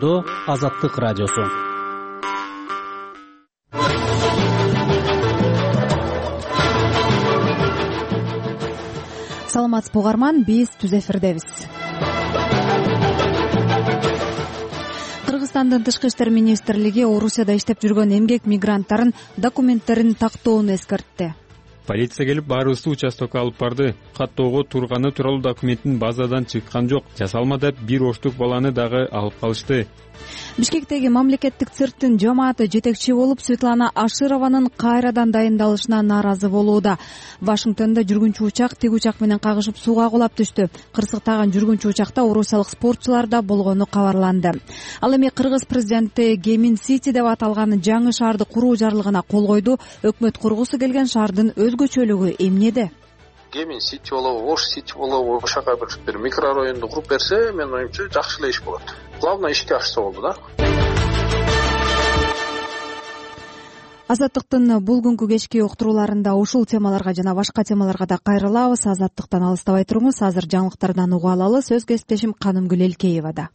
Жолдо Азаттык радиосу. Саламатсызбы угарман, биз түз эфирдебиз. Кыргызстандын Тышкы иштер министрлиги Орусияда иштеп жүргөн эмгек мигранттарын документтерин тактоону эскертти. Полиция келип баарыбызды участокко алып барды. Каттоого турганы тууралуу документтин базадан чыккан жок. Жасалма деп бир оштук баланы дагы алып калышты. Бишкектеги мамлекеттик цирктин жамааты жетекчи болуп Светлана Ашированын кайрадан дайындалышына нааразы болууда. Вашингтондо жүргүнчү учак тик учак менен кагышып сууга кулап түштү. Кырсыктаган жүргүнчү учакта орусиялык спортчулар да болгону кабарланды. Ал эми Кыргыз президенти Гемин Сити деп аталган жаңы шаарды куруу жарлыгына кол койду. Өкмөт кургусу келген шаардын өзгөчөлүгү эмнеде? Гемин Сити болобу, Ош Сити болобу, ошака бир микрорайонду куруп берсе, менин оюмча жакшы эле иш болот. Главное ишке ашса болду да. Азаттыктын бул күнкү кечки уктурууларында ушул темаларга жана башка темаларга да кайрылабыз. Азаттыктан алыстабай туруңуз. Азыр жаңылыктардан угуп алалы. Сөз кесиптешим Канымгүл Элкеевада.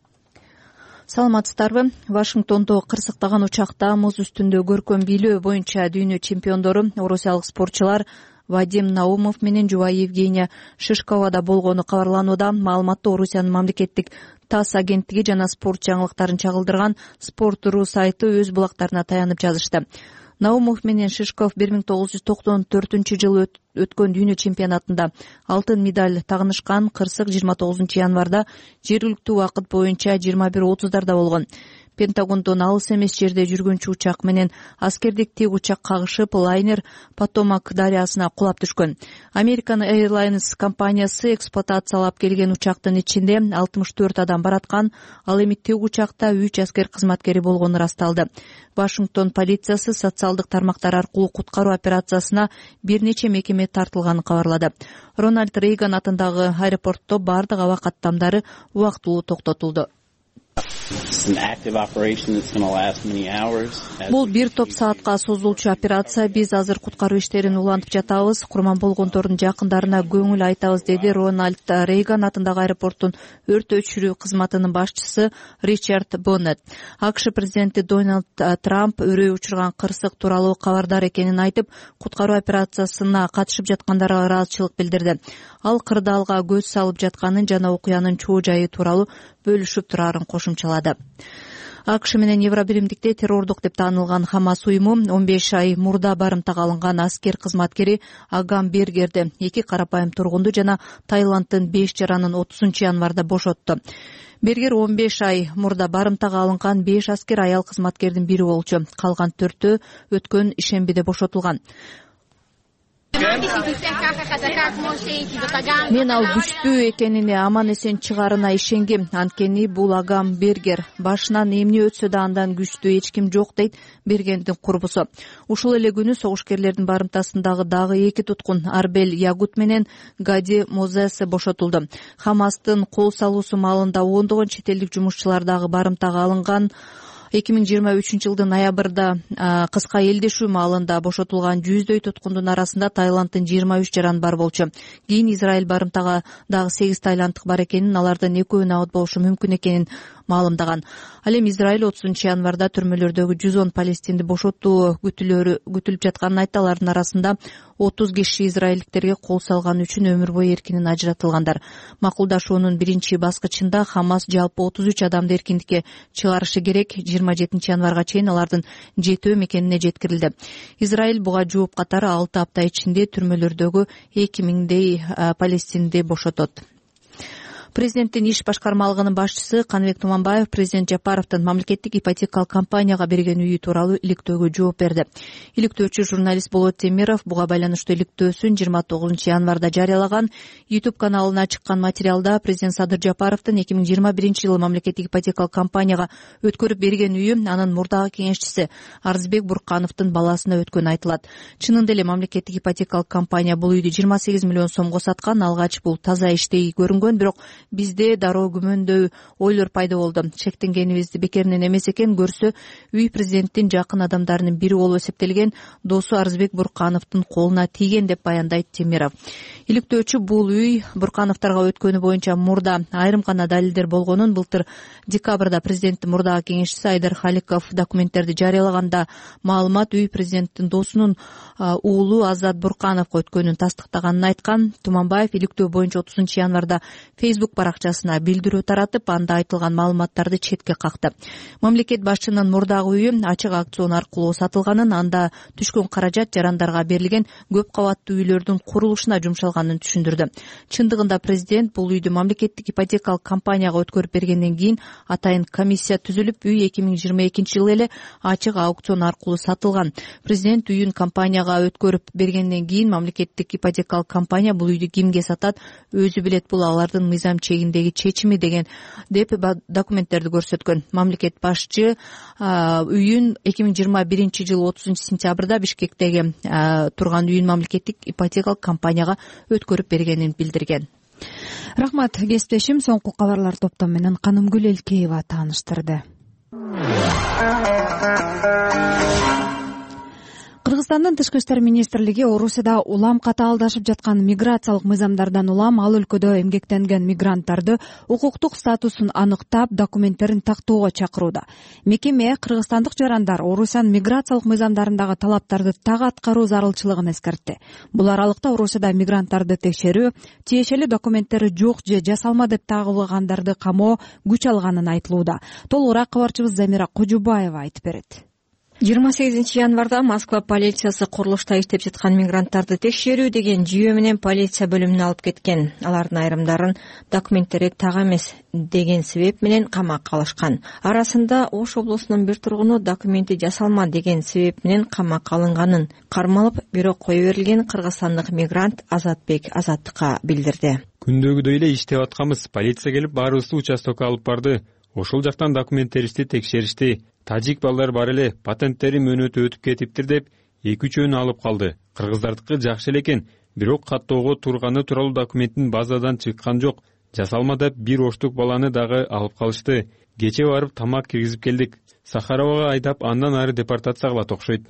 Саламатсыздарбы? Вашингтондо кырсыктаган учакта муз үстүндө көркөм бийлөө боюнча дүйнө чемпиондору орусиялык спортчулар Вадим Наумов менен жубайы Евгения Шишковада болгону кабарланууда. Маалыматты Орусиянын мамлекеттик ТАСС агенттиги жана спорт жаңылыктарын чагылдырган Sport.ru сайты өз булактарына таянып жазышты. Наумов менен Шишков 1994-жылы өткөн дүйнө чемпионатында алтын медаль тагынышкан. Кырсык 29 январда жергиликтүү убакыт боюнча 21:30 болгон. Пентагондон алыс эмес жерде жүргүнчү учак менен аскердик тик учак кагышып, лайнер Потомак дарыясына кулап түшкөн. American Airlines компаниясы эксплуатациялап келген учактын ичинде 64 адам бараткан. Ал эми тик учакта 3 аскер кызматкери болгону ырасталды. Вашингтон полициясы социалдык тармактар аркылуу куткаруу операциясына бир нече мекеме тартылганын кабарлады. Рональд Рейган атындагы аэропортто бардык аба каттамдары убактылуу токтотулду. Бул бир топ саатка созулчу операция. Биз азыр куткаруу иштерин улантып жатабыз. Курман болгондордун жакындарына көңүл айтабыз, деди Рональд Рейган атындагы аэропорттун өрт өчүрүү кызматынын башчысы Ричард Боннет. АКШ президенти Дональд Трамп өрөө учурган кырсык тууралуу кабардар экенин айтып, куткаруу операциясына катышып жаткандарга ыраазычылык билдирди. Ал кырдаалга көз салып жатканын жана окуянын чоо жайы тууралуу бөлүшүп турарын кошумчалады. АКШ менен Евробиримдикте террордук деп таанылган Хамас уюму 15 ай мурда барымтага алынган аскер кызматкери Агам Бергерди, 2 карапайым тургунду жана Таиланддын 5 жаранын 30 январда бошотту. Бергер 15 ай мурда барымтага алынган 5 аскер аял кызматкердин бири болчу. Калган 4-өө өткөн ишембиде бошотулган. Мен ал күчтүү экенине, аман эсен чыгарына ишенгем. Анткени бул Агам Бергер. Башынан эмне өтсө да андан күчтүү эч ким жок, дейт Бергендин курбусу. Ушул эле күнү согушкерлердин барымтасындагы дагы 2 туткун Арбел Ягут менен Гади Мозес бошотулду. Хамастын кол салуусу маалында ондогон чет элдик жумушчулар дагы барымтага алынган. 2023-жылдын ноябрда кыска элдешүү маалында бошотулган 100дөй туткундун арасында Таиланддын 23 жараны бар болчу. Кийин Израиль барымтага дагы 8 таиланддык бар экенин, алардын экөө набат болушу мүмкүн экенин маалымдаган. Ал эми Израиль 30 январда түрмөлөрдөгү 110 палестинди бошотуу күтүлүп жатканын айтты. Алардын арасында 30 киши израилдиктерге кол салган үчүн өмүр бою эркинен ажыратылгандар. Макулдашуунун биринчи баскычында Хамас жалпы 33 адамды эркиндикке чыгарышы керек. 27 январга чейин алардын 7 мекенине жеткирилди. Израиль буга жооп катары 6 апта ичинде түрмөлөрдөгү 2000дей палестинди бошотот. Президенттин иш башкармалыгынын башчысы Каныбек Туманбаев президент Жапаровдун мамлекеттик ипотекалык компанияга берген үйү тууралуу иликтөөгө жооп берди. Иликтөөчү журналист Болот Темиров буга байланыштуу иликтөөсүн 29 январда жарыялаган. YouTube каналына чыккан материалда президент Садыр Жапаровдун 2021-жылы мамлекеттик ипотекалык компанияга өткөрүп берген үйү анын мурдагы кеңешчиси Арзбек Буркановдун баласына өткөнү айтылат. Чынында эле мамлекеттик ипотекалык компания бул үйдү 28 миллион сомго саткан. Алгач бул таза иштей көрүнгөн, бирок бизде дароо күмөндөй ойлор пайда болду. Шектенгенибизди бекеринен эмес экен, көрсө үй президенттин жакын адамдарынын бири болуп эсептелген досу Арызбек Буркановдун колуна тийген деп баяндайт Темиров. Иликтөөчү бул үй Буркановторго өткөнү боюнча мурда айрым гана далилдер болгонун, былтыр декабрда президенттин мурдагы кеңешчиси Айдар Халиков документтерди жарыялаганда маалымат үй президенттин досунун уулу Азат Буркановго өткөнүн тастыктаганын айткан. Туманбаев иликтөө боюнча 30 январда Facebook баракчасына билдирүү таратып, анда айтылган маалыматтарды четке какты. Мамлекет башчынын мурдагы үйү ачык аукцион аркылуу сатылганын, анда түшкөн каражат жарандарга берилген көп кабаттуу үйлөрдүн курулушуна жумшалганын түшүндүрдү. Чындыгында президент бул үйдү мамлекеттик ипотекалык компанияга өткөрүп бергенден кийин атайын комиссия түзүлүп, үй 2022-жылы эле ачык аукцион аркылуу сатылган. Президент үйүн компанияга өткөрүп бергенден кийин мамлекеттик ипотекалык компания бул үйдү кимге сатат, өзү билет, бул алардын мыйзам чегиндеги чечими деп документтерди көрсөткөн. Мамлекет башчы үйүн 2021-жылы 30-сентябрда Бишкектеги турган үйүн мамлекеттик ипотекалык компанияга өткөрүп бергенин билдирген. Рахмат, кесиптешим. Соңку кабарлар топтому менен Канымгүл Элкеева тааныштырды. Кыргызстандын Тышкы иштер министрлиги Орусияда улам катаалдашып жаткан миграциялык мыйзамдардан улам ал өлкөдө эмгектенген мигранттарды укуктук статусун аныктап, документтерин тактоого чакырууда. Мекеме кыргызстандык жарандар Орусиянын миграциялык мыйзамдарындагы талаптарды так аткаруу зарылчылыгын эскертти. Бул аралыкта Орусияда мигранттарды текшерүү, тиешелүү документтери жок же жасалма деп тагылгандарды камоо күч алганын айтылууда. Толугураак кабарчыбыз Замира Кожубаева айтып берет. 28 январда Москва полициясы курулушта иштеп жаткан мигранттарды текшерүү деген жүйө менен полиция бөлүмүнө алып кеткен. Алардын айрымдарын документтери так эмес деген себеп менен камакка алышкан. Арасында Ош облусунун бир тургуну документи жасалма деген себеп менен камакка алынганын кармалып, бирок кое берилген кыргызстандык мигрант Азатбек Азаттыкка билдирди. Күндөгүдөй эле иштеп атканбыз. Полиция келип баарыбызды участокко алып барды. Ошол жактан документтерибизди текшеришти. Тажик балдар бар эле, патенттери мөөнөтү өтүп кетиптир деп 2-3 алып калды. Кыргыздардыкы жакшы эле экен, бирок каттоого турганы тууралуу документтин базадан чыккан жок. Жасалма деп бир оштук баланы дагы алып калышты. Кече барып тамак киргизип келдик. Сахаровага айдап, андан ары депортация кылат окшойт.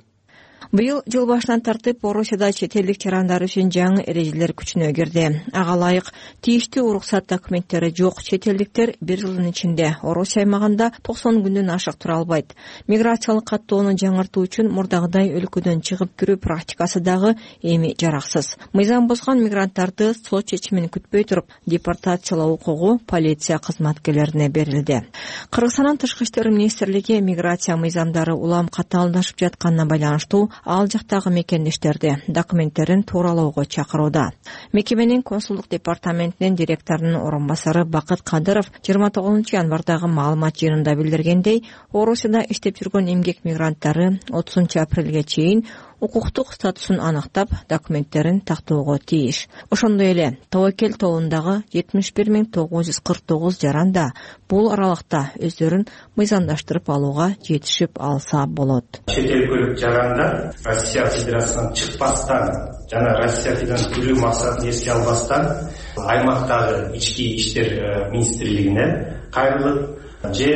Быйыл жыл башынан тартып Орусияда чет элдик жарандар үчүн жаңы эрежелер күчүнө кирди. Ага ылайык тийиштүү уруксат документтери жок чет элдиктер бир жылдын ичинде Орусия аймагында 90 күндөн ашык тура албайт. Миграциялык каттоону жаңыртуу үчүн мурдагыдай өлкөдөн чыгып кирүү практикасы дагы эми жараксыз. Мыйзам бузган мигранттарды сот чечимин күтпөй туруп депортациялоо укугу полиция кызматкерлерине берилди. Кыргызстандын Тышкы иштер министрлиги миграция мыйзамдары улам катаалдашып жатканына байланыштуу ал жактагы мекендештерди документтерин тууралоого чакырууда. Мекеменин консулдук департаментинин директорунун орун басары Бакыт Кадыров 29 январдагы маалымат жыйынында билдиргендей, Орусияда иштеп жүргөн эмгек мигранттары 30 апрелге чейин укуктук статусун аныктап, документтерин тактоого тийиш. Ошондой эле Тобокел тобундагы 71.949 жаран да бул аралыкта өздөрүн мыйзамдаштырып алууга жетишип алса болот. Чет өлкөлүк жарандар Россия Федерациясынан чыкпастан жана Россиядан кирүү максатын эске албастан аймактагы ички иштер министрлигине кайрылып же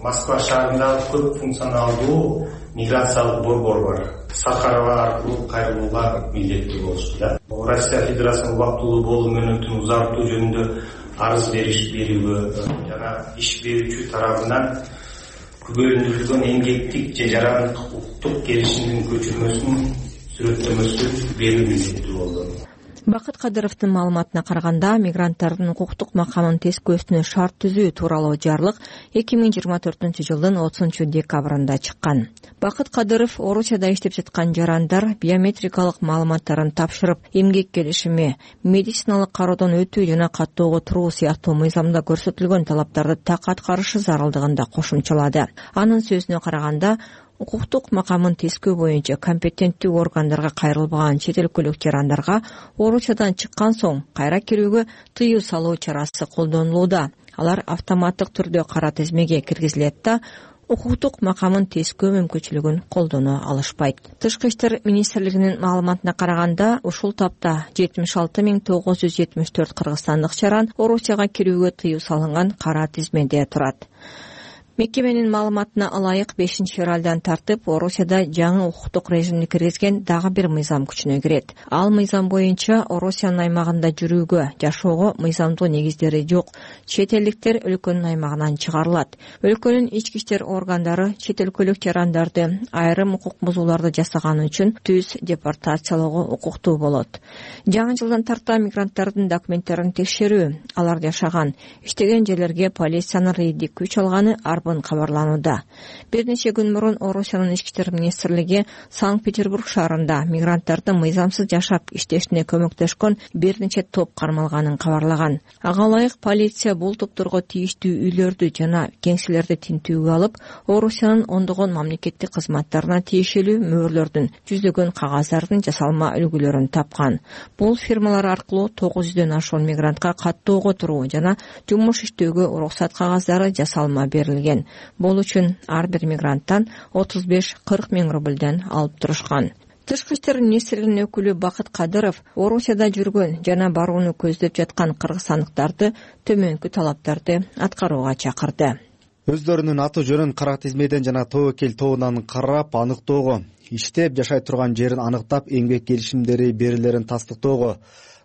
Москва шаарындагы көп функционалдуу миграциялык борбор бар. Сахарова аркылуу кайрылууга милдеттүү болушту. Россия Федерациясынын убактылуу болуу мөөнөтүн узартуу жөнүндө арыз берүүгө жана иш берүүчү тарабынан күбөлөндүрүлгөн эмгектик же жарандык укуктук келишимдин көчүрмөсүн сүрөттөмөсү берүү милдеттүү болду. Бакыт Кадыровдун маалыматына караганда, мигранттардын укуктук макамын тескөөсүнө шарт түзүү тууралуу жарлык 2024-жылдын 30 декабрында чыккан. Бакыт Кадыров Орусияда иштеп жаткан жарандар биометрикалык маалыматтарын тапшырып, эмгек келишими, медициналык кароодон өтүү жана каттоого туруу сыяктуу мыйзамда көрсөтүлгөн талаптарды так аткарышы зарылдыгын да кошумчалады. Анын сөзүнө караганда, укуктук макамын тескөө боюнча компетенттүү органдарга кайрылбаган чет өлкөлүк жарандарга Орусиядан чыккан соң кайра кирүүгө тыюу салуу чарасы колдонулууда. Алар автоматтык түрдө кара тизмеге киргизилет да, укуктук макамын тескөө мүмкүнчүлүгүн колдоно алышпайт. Тышкы иштер министрлигинин маалыматына караганда, ушул тапта 76.974 кыргызстандык чаран Орусияга кирүүгө тыюу салынган кара тизмеде турат. Мекеменин маалыматына ылайык 5-февралдан тартып Орусияда жаңы укуктук режимди киргизген дагы бир мыйзам күчүнө кирет. Ал мыйзам боюнча Орусиянын аймагында жүрүүгө, жашоого мыйзамдуу негиздери жок чет элдиктер өлкөнүн аймагынан чыгарылат. Өлкөнүн ички иштер органдары чет өлкөлүк жарандарды айрым укук бузууларды жасаганы үчүн түз депортациялоого укуктуу болот. Жаңы жылдан тарта мигранттардын документтерин текшерүү, алар жашаган, иштеген жерлерге полициянын рейддик күч алганы кабарланууда. Бир нече күн мурун Орусиянын ички иштер министрлиги Санкт-Петербург шаарында мигранттардын мыйзамсыз жашап иштешине көмөктөшкөн бир нече топ кармалганын кабарлаган. Ага ылайык полиция бул топторго тийиштүү үйлөрдү жана кеңселерди тинтүүгө алып, Орусиянын ондогон мамлекеттик кызматтарына тиешелүү мөөрлөрдүн, жүздөгөн кагаздардын жасалма үлгүлөрүн тапкан. Бул фирмалар аркылуу 900дөн ашуун мигрантка каттоого туруу жана жумуш иштөөгө уруксат кагаздары жасалма берилген. Бул үчүн ар бир мигранттан 35-40 миң рубльден алып турушкан. Тышкы иштер министрлигинин өкүлү Бакыт Кадыров Орусияда жүргөн жана барууну көздөп жаткан кыргызстандыктарды төмөнкү талаптарды аткарууга чакырды. Өздөрүнүн аты жөнүн кара тизмеден жана тобокел тобунан карап аныктоого, иштеп жашай турган жерин аныктап эмгек келишимдери берилерин тастыктоого,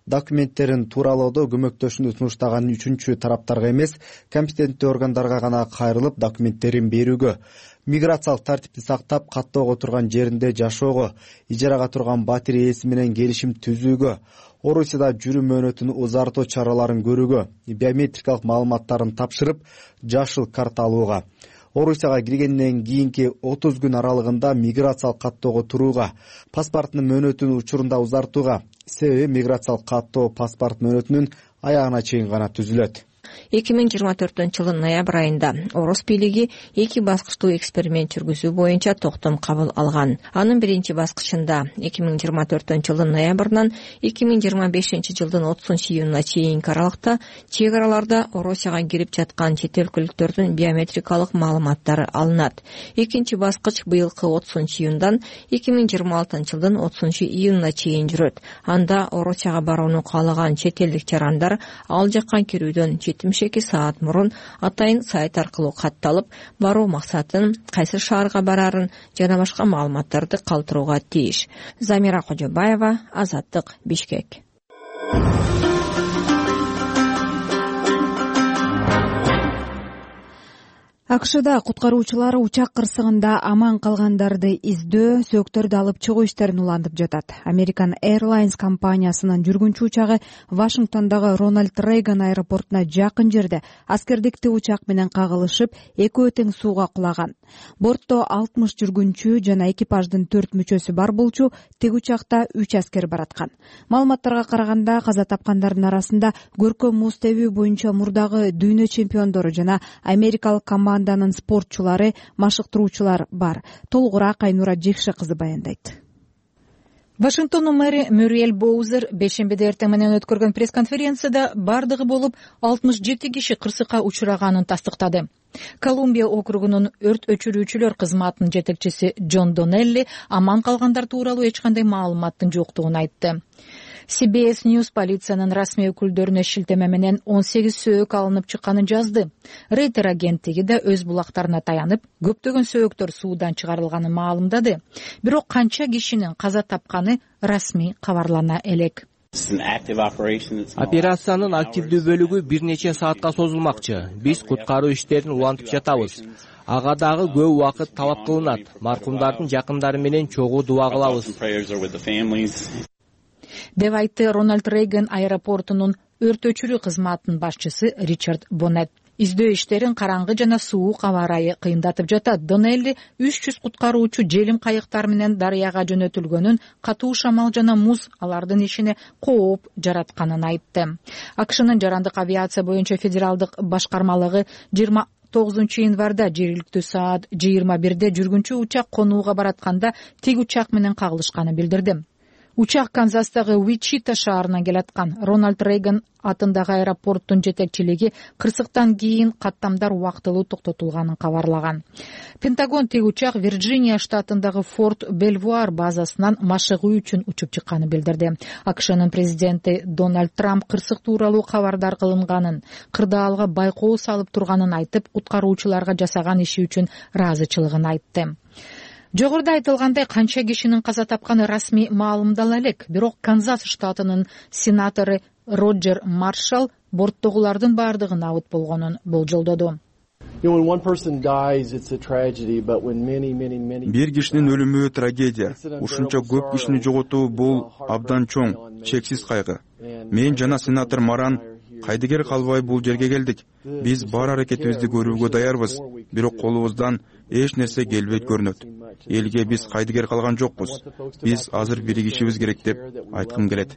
документтерин тууралоодо көмөктөшүүнү сунуштаган үчүнчү тараптарга эмес, компетенттүү органдарга гана кайрылып документтерин берүүгө, миграциялык тартипти сактап каттоого турган жеринде жашоого, ижарага турган батир ээси менен келишим түзүүгө, Орусияда жүрүү мөөнөтүн узартуу чараларын көрүүгө, биометрикалык маалыматтарын тапшырып, жашыл карта алууга, Орусияга киргенден кийинки 30 күн аралыгында миграциялык каттоого турууга, паспорттун мөөнөтүн учурунда узартууга, себеби миграциялык каттоо паспорт мөөнөтүнүн аягына чейин гана түзүлөт. 2024-жылдын ноябрь айында Орус бийлиги 2 баскычтуу эксперимент жүргүзүү боюнча токтом кабыл алган. Анын биринчи баскычында 2024-жылдын ноябрынан 2025-жылдын 30-июнуна чейинки аралыкта чек араларда Орусияга кирип жаткан чет өлкөлүктөрдүн биометрикалык маалыматтары алынат. Экинчи баскыч быйылкы 30-июндан 2026-жылдын 30-июнуна чейин жүрөт. Анда Орусияга барууну каалаган чет элдик жарандар ал жакка кирүүдөн 72 саат мурун атайын сайт аркылуу катталып, баруу максатын, кайсы шаарга барарын жана башка маалыматтарды калтырууга тийиш. Замира Кожобаева, Азаттык, Бишкек. АКШда куткаруучулар учак кырсыгында аман калгандарды издөө, сөктөрдү алып чыгуу иштерин улантып жатат. American Airlines компаниясынын жүргүнчү учагы Вашингтондогу Ronald Reagan аэропортуна жакын жерде аскердик учак менен кагылышып, экөө тең сууга кулаган. Бортто 60 жүргүнчү жана экипаждын 4 мүчөсү бар болчу, тиг учакта 3 аскер бараткан. Маалыматтарга караганда, каза тапкандардын арасында көркөм муз тебүү боюнча мурдагы дүйнө чемпиондору жана америкалык команданын спортчулары, машыктыруучулар бар. Толугураак Айнура Жекше кызы баяндайт. Вашингтондун мэри Мюриэль Боузер бейшембиде эртең менен өткөргөн пресс-конференцияда бардыгы болуп 67 киши кырсыкка учураганын тастыктады. Колумбия округунун өрт өчүрүүчүлөр кызматынын жетекчиси Джон Донелли аман калгандар тууралуу эч кандай маалыматтын жоктугун айтты. CBS News полициянын расмий өкүлдөрүнө шилтеме менен 18 сөөк алынып чыкканын жазды. Рейтер агенттиги да өз булактарына таянып, көптөгөн сөөктөр суудан чыгарылганын маалымдады. Бирок канча кишинин каза тапканы расмий кабарлана элек. Операциянын активдүү бөлүгү бир нече саатка созулмакчы. Биз куткаруу иштерин улантып жатабыз. Ага дагы көп убакыт талап кылынат. Маркумдардын жакындары менен чогуу дуба кылабыз, деп айтты Рональд Рейган аэропортунун өрт өчүрүү кызматынын башчысы Ричард Боннет. Издөө иштерин караңгы жана суук аба ырайы кыйындатып жатат. Донелли 300 куткаруучу желим кайыктар менен дарыяга жөнөтүлгөнүн, катуу шамал жана муз алардын ишине кооп жаратканын айтты. АКШнын жарандык авиация боюнча федералдык башкармалыгы 29 январда жергиликтүү саат 21-де жүргүнчү учак конууга баратканда тиг учак менен кагылышканын билдирди. Учак Канзастагы Уичита шаарынан келаткан. Рональд Рейган атындагы аэропорттун жетекчилиги кырсыктан кийин каттамдар убактылуу токтотулганын кабарлаган. Пентагон тиги учак Вирджиния штатындагы Форт Бельвуар базасынан машыгуу үчүн учуп чыкканын билдирди. АКШнын президенти Дональд Трамп кырсык тууралуу кабардар кылынганын, кырдаалга байкоо салып турганын айтып, куткаруучуларга жасаган иши үчүн ыраазычылыгын айтты. Жогоруда айтылгандай, канча кишинин каза тапканы расмий маалымдала элек, бирок Канзас штатынын сенатору Роджер Маршалл борттогулардын баардыгын абыт болгонун болжолдоду. Бир кишинин өлүмү трагедия. Ушунча көп кишини жоготуу бул абдан чоң, чексиз кайгы. Мен жана сенатор Маран кайдыгер калбай бул жерге келдик. Биз бар аракетибизди көрүүгө даярбыз, бирок колубуздан эч нерсе келбейт көрүнөт. Элге биз кайдыгер калган жокпуз. Биз азыр биригишибиз керек деп айткым келет.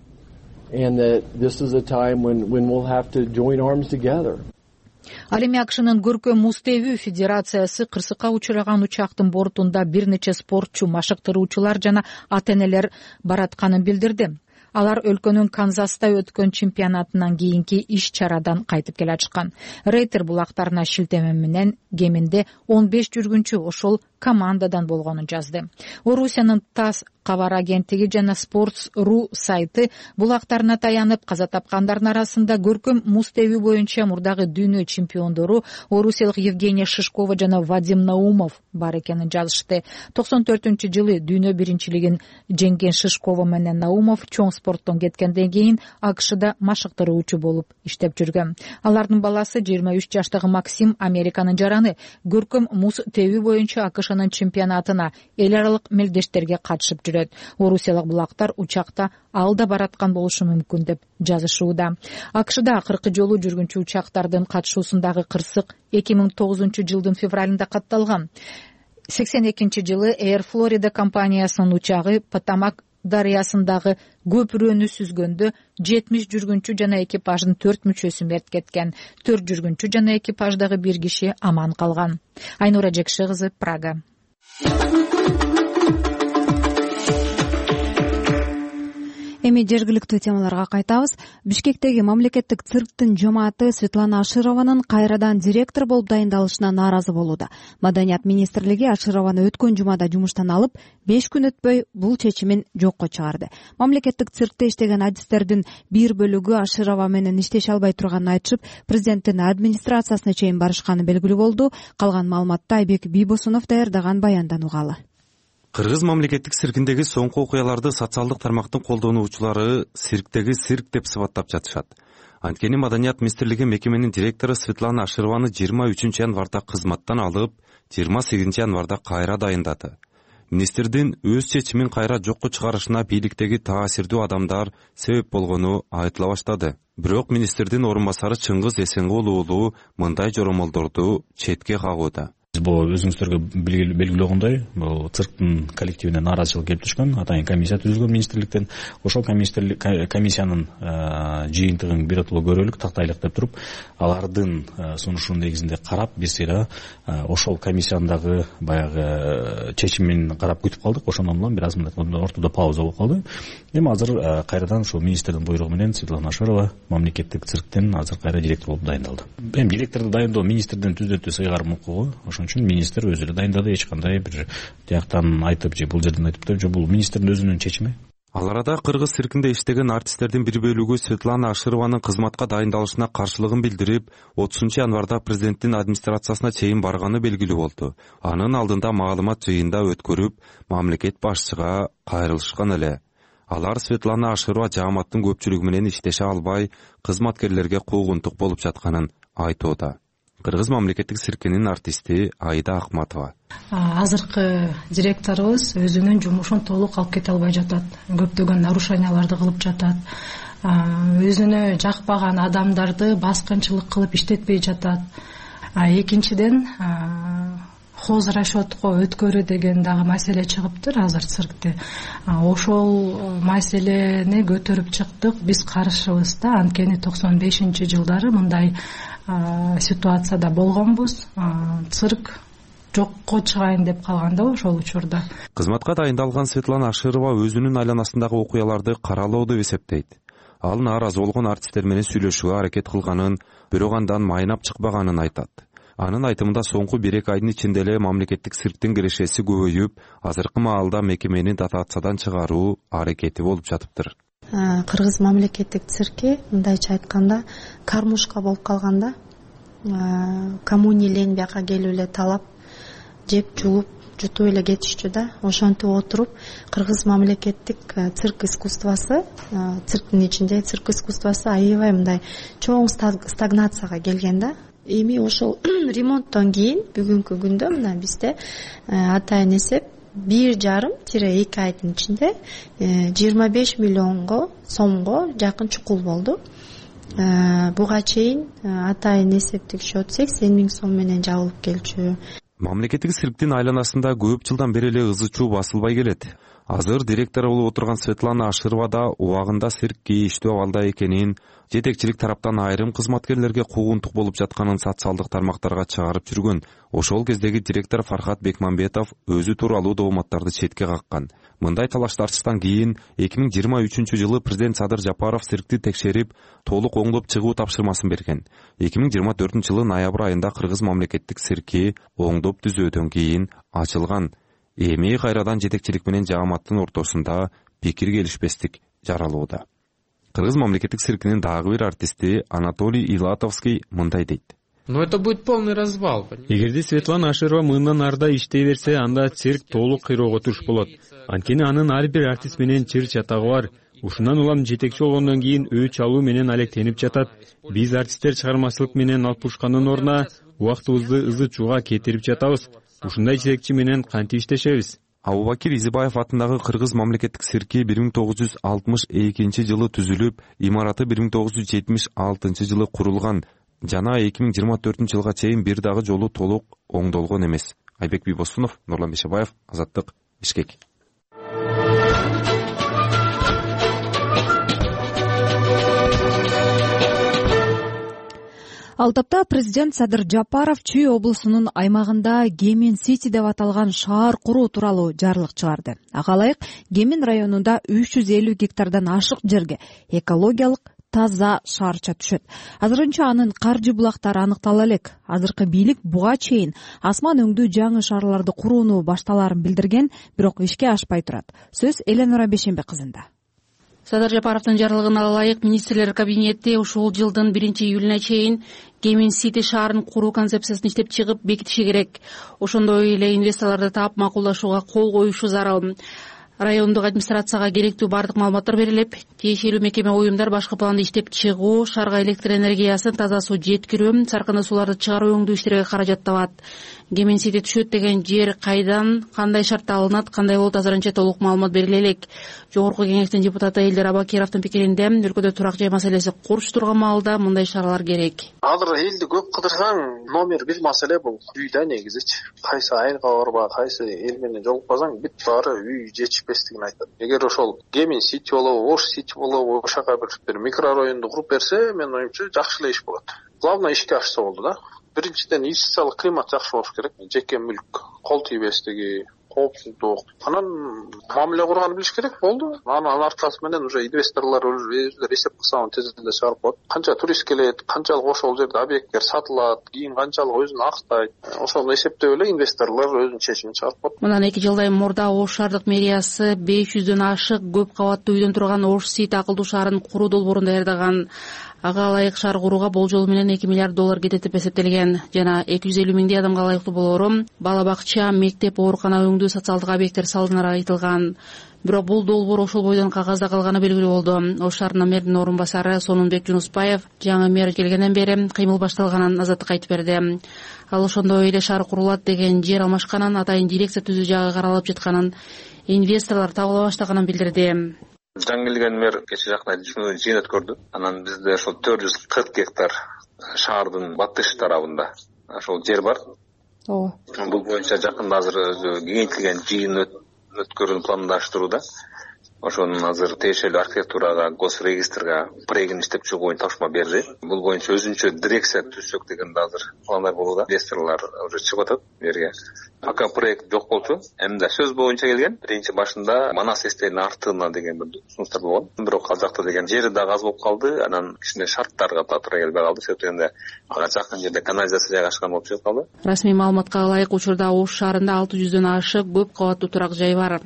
Ал эми АКШнын көркөм муз тебүү федерациясы кырсыкка учураган учактын бортунда бир нече спортчу, машыктыруучулар жана ата-энелер баратканын билдирди. Алар өлкөнүн Канзаста өткөн чемпионатынан кийинки иш-чарадан кайтып келе жатышкан. Рейтер булактарына шилтеме менен кеминде 15 жүргүнчү ошол командадан болгонун жазды. Орусиянын ТАСС кабар агенттиги жана Sports.ru сайты булактарына таянып, каза тапкандардын арасында көркөм муз тебүү боюнча мурдагы дүйнө чемпиондору орусиялык Евгения Шишкова жана Вадим Наумов бар экенин жазышты. 94-жылы дүйнө биринчилигин жеңген Шишкова менен Наумов чоң спорттон кеткенден кийин АКШда машыктыруучу болуп иштеп жүргөн. Алардын баласы 23 жаштагы Максим Американын жараны көркөм муз тебүү боюнча АКШнын чемпионатына эл аралык мелдештерге катышып жүрөт. Орусиялык булактар учакта алда бараткан болушу мүмкүн деп жазышууда. АКШда акыркы жолу жүргүнчү учактардын катышуусундагы кырсык 2009-жылдын февралында катталган. 82-жылы Air Florida компаниясынын учагы Потамак дарыясындагы көпүрөнү сүзгөндө 70 жүргүнчү жана экипаждын 4 мүчөсү мерт кеткен. 4 жүргүнчү жана экипаждагы бир киши аман калган. Айнура Жекши кызы, Прага. Эми жергиликтүү темаларга кайтабыз. Бишкектеги мамлекеттик цирктин жомааты Светлана Ашированын кайрадан директор болуп дайындалышына нааразы болууда. Маданият министрлиги Ашированы өткөн жумада жумуштан алып, 5 күн өтпөй бул чечимин жокко чыгарды. Мамлекеттик циркте иштеген адистердин бир бөлүгү Аширова менен иштеше албай турганын айтышып, президенттин администрациясына чейин барышканы белгилүү болду. Калган маалыматты Айбек Бийбосунов даярдаган баяндан угалы. Кыргыз мамлекеттик циркиндеги соңку окуяларды социалдык тармактын колдонуучулары цирктеги цирк деп сыпаттап жатышат. Анткени Маданият министрлиги мекеменин директору Светлана Ашированы 23 январда кызматтан алып, 28 январда кайра дайындады. Министрдин өз чечимин кайра жокко чыгарышына бийликтеги таасирдүү адамдар себеп болгону айтыла баштады. Бирок министрдин орун басары Чыңгыз Эсенгул уулу мындай жоромолдорду четке кагууда. Бул өзүңүздөргө белгилөгөндөй, бул цирктин коллективине нааразычылык келип түшкөн. Атайын комиссия түзүлгөн министрликтен. Ошол комиссиянын жыйынтыгын биротоло көрөлүк, тактайлык деп туруп, алардын сунушунун негизинде карап, биз ошол комиссиянын баягы чечимин карап күтүп калдык. Ошондон улам бир аз ортодо пауза болуп калды. Эми азыр кайрадан ушул министрдин буйругу менен Светлана Аширова мамлекеттик цирктен азыр кайра директор болуп дайындалды. Эми директорду дайындоо министрдин түздөн-түз ыйгарым укугу. Ошон үчүн министр өзү эле дайындады, эч кандай бир тияктан айтып же бул жерден айтып деп, бул министрдин өзүнүн чечими. Ал арада кыргыз циркинде иштеген артисттердин бир бөлүгү Светлана Ашированын кызматка дайындалышына каршылыгын билдирип, 30 январда президенттин администрациясына чейин барганы белгилүү болду. Анын алдында маалымат жыйында өткөрүп, мамлекет башчыга кайрылышкан эле. Алар Светлана Аширова жааматтын көпчүлүгү менен иштеше албай, кызматкерлерге куугунтук болуп жатканын айтууда. Кыргыз мамлекеттик циркинин артисти Айда Акматова. Азыркы директорубуз өзүнүн жумушун толук алып кете албай жатат. Көптөгөн нарушенияларды кылып жатат. Өзүнө жакпаган адамдарды баскынчылык кылып иштетпей жатат. Экинчиден хозрасчетко өткөрүү деген дагы маселе чыгыптыр азыр циркте. Ошол маселени көтөрүп чыктык. Биз каршыбыз да, анткени 95-жылдары мындай ситуацияда болгонбуз. Цирк жокко чыгайын деп калган да ошол учурда. Кызматка дайындалган Светлана Аширова өзүнүн айланасындагы окуяларды каралоо деп эсептейт. Ал нааразы болгон артисттер менен сүйлөшүүгө аракет кылганын, бирок андан майнап чыкпаганын айтат. Анын айтымында соңку 1-2 айдын ичинде эле мамлекеттик цирктин кирешеси көбөйүп, азыркы маалда мекемени дотациядан чыгаруу аракети болуп жатыптыр. Кыргыз мамлекеттик цирки мындайча айтканда кармушка болуп калганда, коммунилен бияка келип эле талап, жеп жулуп, жутуп эле кетишчү да. Ошентип отуруп, Кыргыз мамлекеттик цирк искусствосу, цирктин ичинде цирк искусствосу аябай мындай чоң стагнацияга келген да. Эми ошол ремонттон кийин бүгүнкү күндө мына бизде атайын эсеп 1,5-2 айдын ичинде 25 миллионго сомго жакын чукул болду. Буга чейин атайын эсептик счет 80 миң сом менен жабылып келчү. Мамлекеттик цирктин айланасында көп жылдан бери эле ызы чуу басылбай келет. Азыр директор болуп отурган Светлана Аширова да убагында цирк кейиштүү абалда экенин, жетекчилик тараптан айрым кызматкерлерге куугунтук болуп жатканын социалдык тармактарга чыгарып жүргөн. Ошол кездеги директор Фархат Бекмамбетов өзү тууралуу дооматтарды четке каккан. Мындай талаш-тартыштан кийин 2023-жылы президент Садыр Жапаров циркти текшерип, толук оңдоп чыгуу тапшырмасын берген. 2024-жылы ноябрь айында Кыргыз мамлекеттик цирки оңдоп түзөөдөн кийин ачылган. Эми кайрадан жетекчилик менен жааматтын ортосунда пикир келишпестик жаралууда. Кыргыз мамлекеттик циркинин дагы бир артисти Анатолий Илатовский мындай дейт. Но это будет полный развал. Эгерде Светлана Аширова мындан арда иштей берсе, анда цирк толук кыйроого туш болот. Анткени анын ар бир артист менен чыр чатагы бар. Ушундан улам жетекчи болгондон кийин өч алуу менен алектенип жатат. Биз артисттер чыгармачылык менен алпушкандын ордуна убактыбызды ызы чууга кетирип жатабыз. Ушундай жетекчи менен кантип иштешебиз? Абубакир Изибаев атындагы Кыргыз мамлекеттик цирки 1962-жылы түзүлүп, имараты 1976-жылы курулган. Жана 2024-жылга чейин бир дагы жолу толук оңдолгон эмес. Айбек Бибосунов, Нурлан Бешебаев, Азаттык, Бишкек. Ал тапта президент Садыр Жапаров Чүй облусунун аймагында Гемин Сити деп аталган шаар куруу тууралуу жарлык чыгарды. Ага ылайык Гемин районунда 350 гектардан ашык жерге экологиялык таза шаарча түшөт. Азырынча анын каржы булактары аныктала элек. Азыркы бийлик буга чейин асман өңдүү жаңы шаарларды курууну башталаарын билдирген, бирок ишке ашпай турат. Сөз Эленора Бешембе кызында. Садыр Жапаровдун жарлыгына ылайык министрлер кабинети ушул жылдын 1-июлуна чейин Гемин Сити шаарын куруу концепциясын иштеп чыгып бекитиши керек. Ошондой эле инвесторлорду таап макулдашууга кол коюшу зарыл. Райондук администрацияга керектүү бардык маалыматтар берилип, тиешелүү мекеме уюмдар башкы планды иштеп чыгуу, шаарга электр энергиясын, таза суу жеткирүү, саркынды сууларды чыгаруу өңдүү иштерге каражат табат. Гемин Сити түшөт деген жер кайдан, кандай шартта алынат, кандай болот азырынча толук маалымат бериле элек. Жогорку кеңештин депутаты Элдер Абакировдун пикиринде, өлкөдө турак жай маселеси курч турган маалда мындай шаралар керек. Азыр элди көп кыдырсаң, номер 1 маселе бул үйдө негизичи. Кайсы айылга барба, кайсы эл менен жолукпасаң, бүт баары үй жетишпестигин айтат. Эгер ошол Гемин Сити болобу, Ош Сити болобу, ошака бир микрорайонду куруп берсе, мен оюмча жакшы эле иш болот. Главное ишке ашса болду да. Биринчиден инвестициялык климат жакшы болуш керек. Жеке мүлк, кол тийбестиги, коопсуздук. Анан мамиле курганды билиш керек болду. Анын аркасы менен уже инвесторлор өзүлөр эсеп кылса тезинде чыгарып коет. Канча турист келет, канчалык ошол жерде объекттер сатылат, кийин канчалык өзүн актайт. Ошону эсептеп эле инвесторлор өзүнүн чечимин чыгарып коет. Мындан 2 жылдай мурда Ош шаардык мэриясы 500дөн ашык көп кабаттуу үйдөн турган Ош Сити акылдуу шаарын куруу долбоорун даярдаган. Ага ылайык шаар курууга болжол менен $2 миллиард кетет деп эсептелген. Жана 250 миңдей адамга ылайыктуу болоору бала бакча, мектеп, оорукана өңдүү социалдык объекттер салынары айтылган. Бирок бул долбоор ошол бойдон кагазда калганы белгилүү болду. Ош шаарынын мэрдин орун басары Сонунбек Жунуспаев жаңы мэр келгенден бери кыймыл башталганын Азаттыкка айтып берди. Ал ошондой эле шаар курулат деген жер алмашканын, атайын дирекция түзүү жагы каралып жатканын, инвесторлор табыла баштаганын билдирди. Жаңы келген мэр кече жакта жыйын өткөрдү. Анан бизде ошол 440 гектар шаардын батыш тарабында ошол жер бар. Бул боюнча жакында азыр кеңейтилген жыйын өткөрүүнү пландаштырууда. ошонун азыр тиешелүү архитектурага, госрегистрга проектин иштеп чыгуу боюнча тапшырма берди. Бул боюнча өзүнчө дирекция түзсөк деген да азыр пландар болууда. Инвесторлор уже чыгып атат бу жерге. Пока проект жок болчу. Эмне сөз боюнча келген. Биринчи башында Манас эстегинин артына деген бир сунуштар болгон. Бирок ал жакта деген жери дагы аз болуп калды. Анан кичине шарттарга туура келбей калды. Себеп дегенде ага жакын жерде канализация жайгашкан болуп чыгып калды. Расмий маалыматка ылайык учурда Ош шаарында 600дөн ашык көп кабаттуу турак жай бар.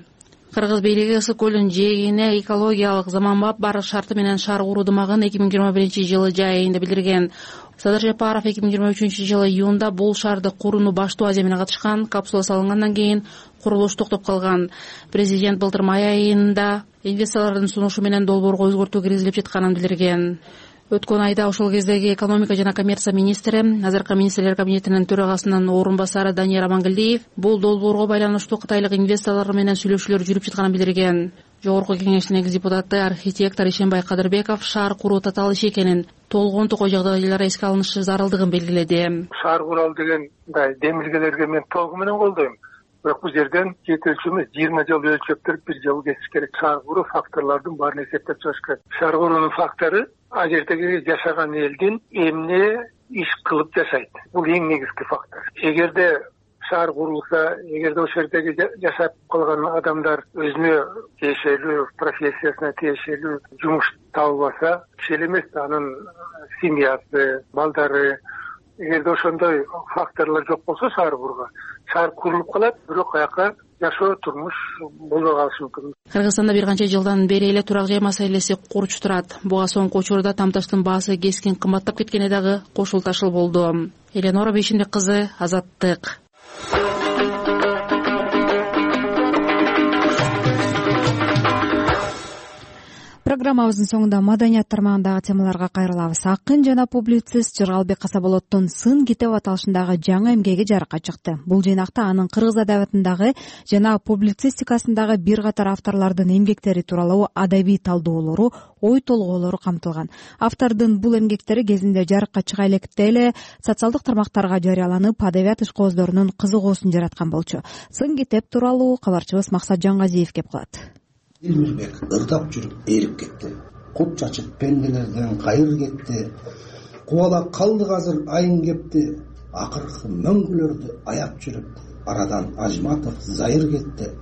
Кыргыз бийлиги Ысык көлүнүн жээгине экологиялык заманбап барык шарты менен шаар куруудумагын 2021-жылы жай айында билдирген. Садыр Жапаров 2023-жылы июнда бул шаарды курууну баштоо аземине катышкан. Капсула салынгандан кийин курулуш токтоп калган. Президент былтыр май айында инвесторлордун сунушу менен долбоорго өзгөртүү киргизилип жатканын билдирген. Өткөн айда ошол кездеги экономика жана коммерция министри, азыркы министрлер кабинетинин төрагасынын орун басары Данияр Амангелдиев бул долбоорго байланыштуу кытайлык инвесторлор менен сүйлөшүүлөр жүрүп жатканын билдирген. Жогорку кеңештин экс депутаты архитектор Ишенбай Кадырбеков шаар куруу татаал иш экенин, толгон токой жагдайлар эске алынышы зарылдыгын белгиледи. Шаар куралы деген мындай демилгелерге мен толугу менен колдойм. Бирок бул жерден жетелчүмүз 20 жыл өлчөптүрүп 1 жыл кетиш керек. Шаар куруу факторлордун баарын эсептеп чыгыш керек. Шаар куруунун фактору ал жердеги жашаган элдин эмне иш кылып жашайт. Бул эң негизги фактор. Эгерде шаар курулса, эгерде ошол жердеги жашап калган адамдар өзүнө тиешелүү профессиясына тиешелүү жумуш табылбаса, киши эмес, анын семьясы, балдары, эгерде ошондой факторлор жок болсо шаар курулуп калат, бирок аяка жашоо турмуш болбой калышы мүмкүн. Кыргызстанда бир канча жылдан бери эле турак жай маселеси курч турат. Буга соңку учурда тамташтын баасы кескин кымбаттап кеткени дагы кошулташыл болду. Эленора Бейшимбек кызы, Азаттык. Программабыздын соңунда маданият тармагындагы темаларга кайрылабыз. Акын жана публицист Жыргалбек Касаболоттун Сын китеп аталышындагы жаңы эмгеги жарыкка чыкты. Бул жыйнакта анын кыргыз адабиятындагы жана публицистикасындагы бир катар авторлордун эмгектери тууралуу адабий талдоолору, ой толгоолору камтылган. Автордун бул эмгектери кезинде жарыкка чыга электе эле социалдык тармактарга жарыяланып, адабият ишкооздорунун кызыгуусун жараткан болчу. Сын китеп тууралуу кабарчыбыз Максат Жаңгазиев кеп кылат. Элмирбек ырдап жүрүп ээрип кетти. Кут чачып пенделерден кайыр кетти. Кубалак калдык азыр айын кепти. Акыркы мөңгүлөрдү аяп жүрүп, арадан Ажматов Зайыр кетти.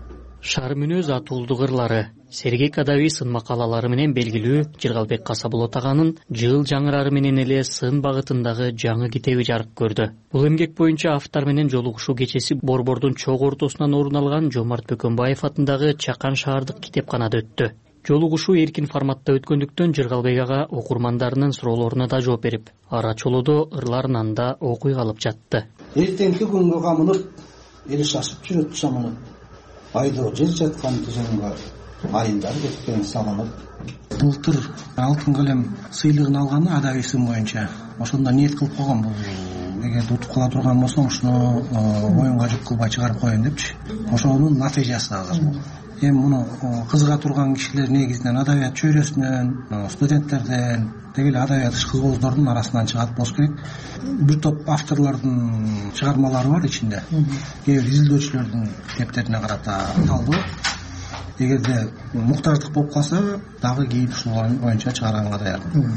Шаар мүнөз атуулдук ырлары, сергек адабий сын макалалары менен белгилүү Жыргалбек Касаболот аганын жыл жаңырары менен эле сын багытындагы жаңы китеби жарык көрдү. Бул эмгек боюнча автор менен жолугушуу кечеси Борбордун чогуу ортосунан орун алган Жомарт Бөкөнбаев атындагы Чакан шаардык китепканада өттү. Жолугушуу эркин форматта өткөндүктөн Жыргалбек ага окурмандарынын суроолоруна да жооп берип, ара чолодо ырларын да окуй калып жатты. Эртеңки күнгө камынып, эл шашып жүрөт чамынып. Айдоо жер жаткан тыжыңга айындар кеткен салынып. Былтыр алтын калем сыйлыгын алганы адабий сын боюнча. Ошондо ниет кылып койгон, бул эгерде утуп кала турган болсоң, ушуну моюнга жүк кылбай чыгарып коеюн депчи. Ошонун натыйжасы азыр бул. Эми муну кызыга турган кишилер негизинен адабият чөйрөсүнөн, студенттерден, деги эле адабият ишкооздордун арасынан чыгат болуш керек. Бир топ авторлордун чыгармалары бар ичинде. Кээ бир изилдөөчүлөрдүн китептерине карата талдоо. Эгерде муктаждык болуп калса, дагы кийин ушул боюнча чыгарганга даярмын.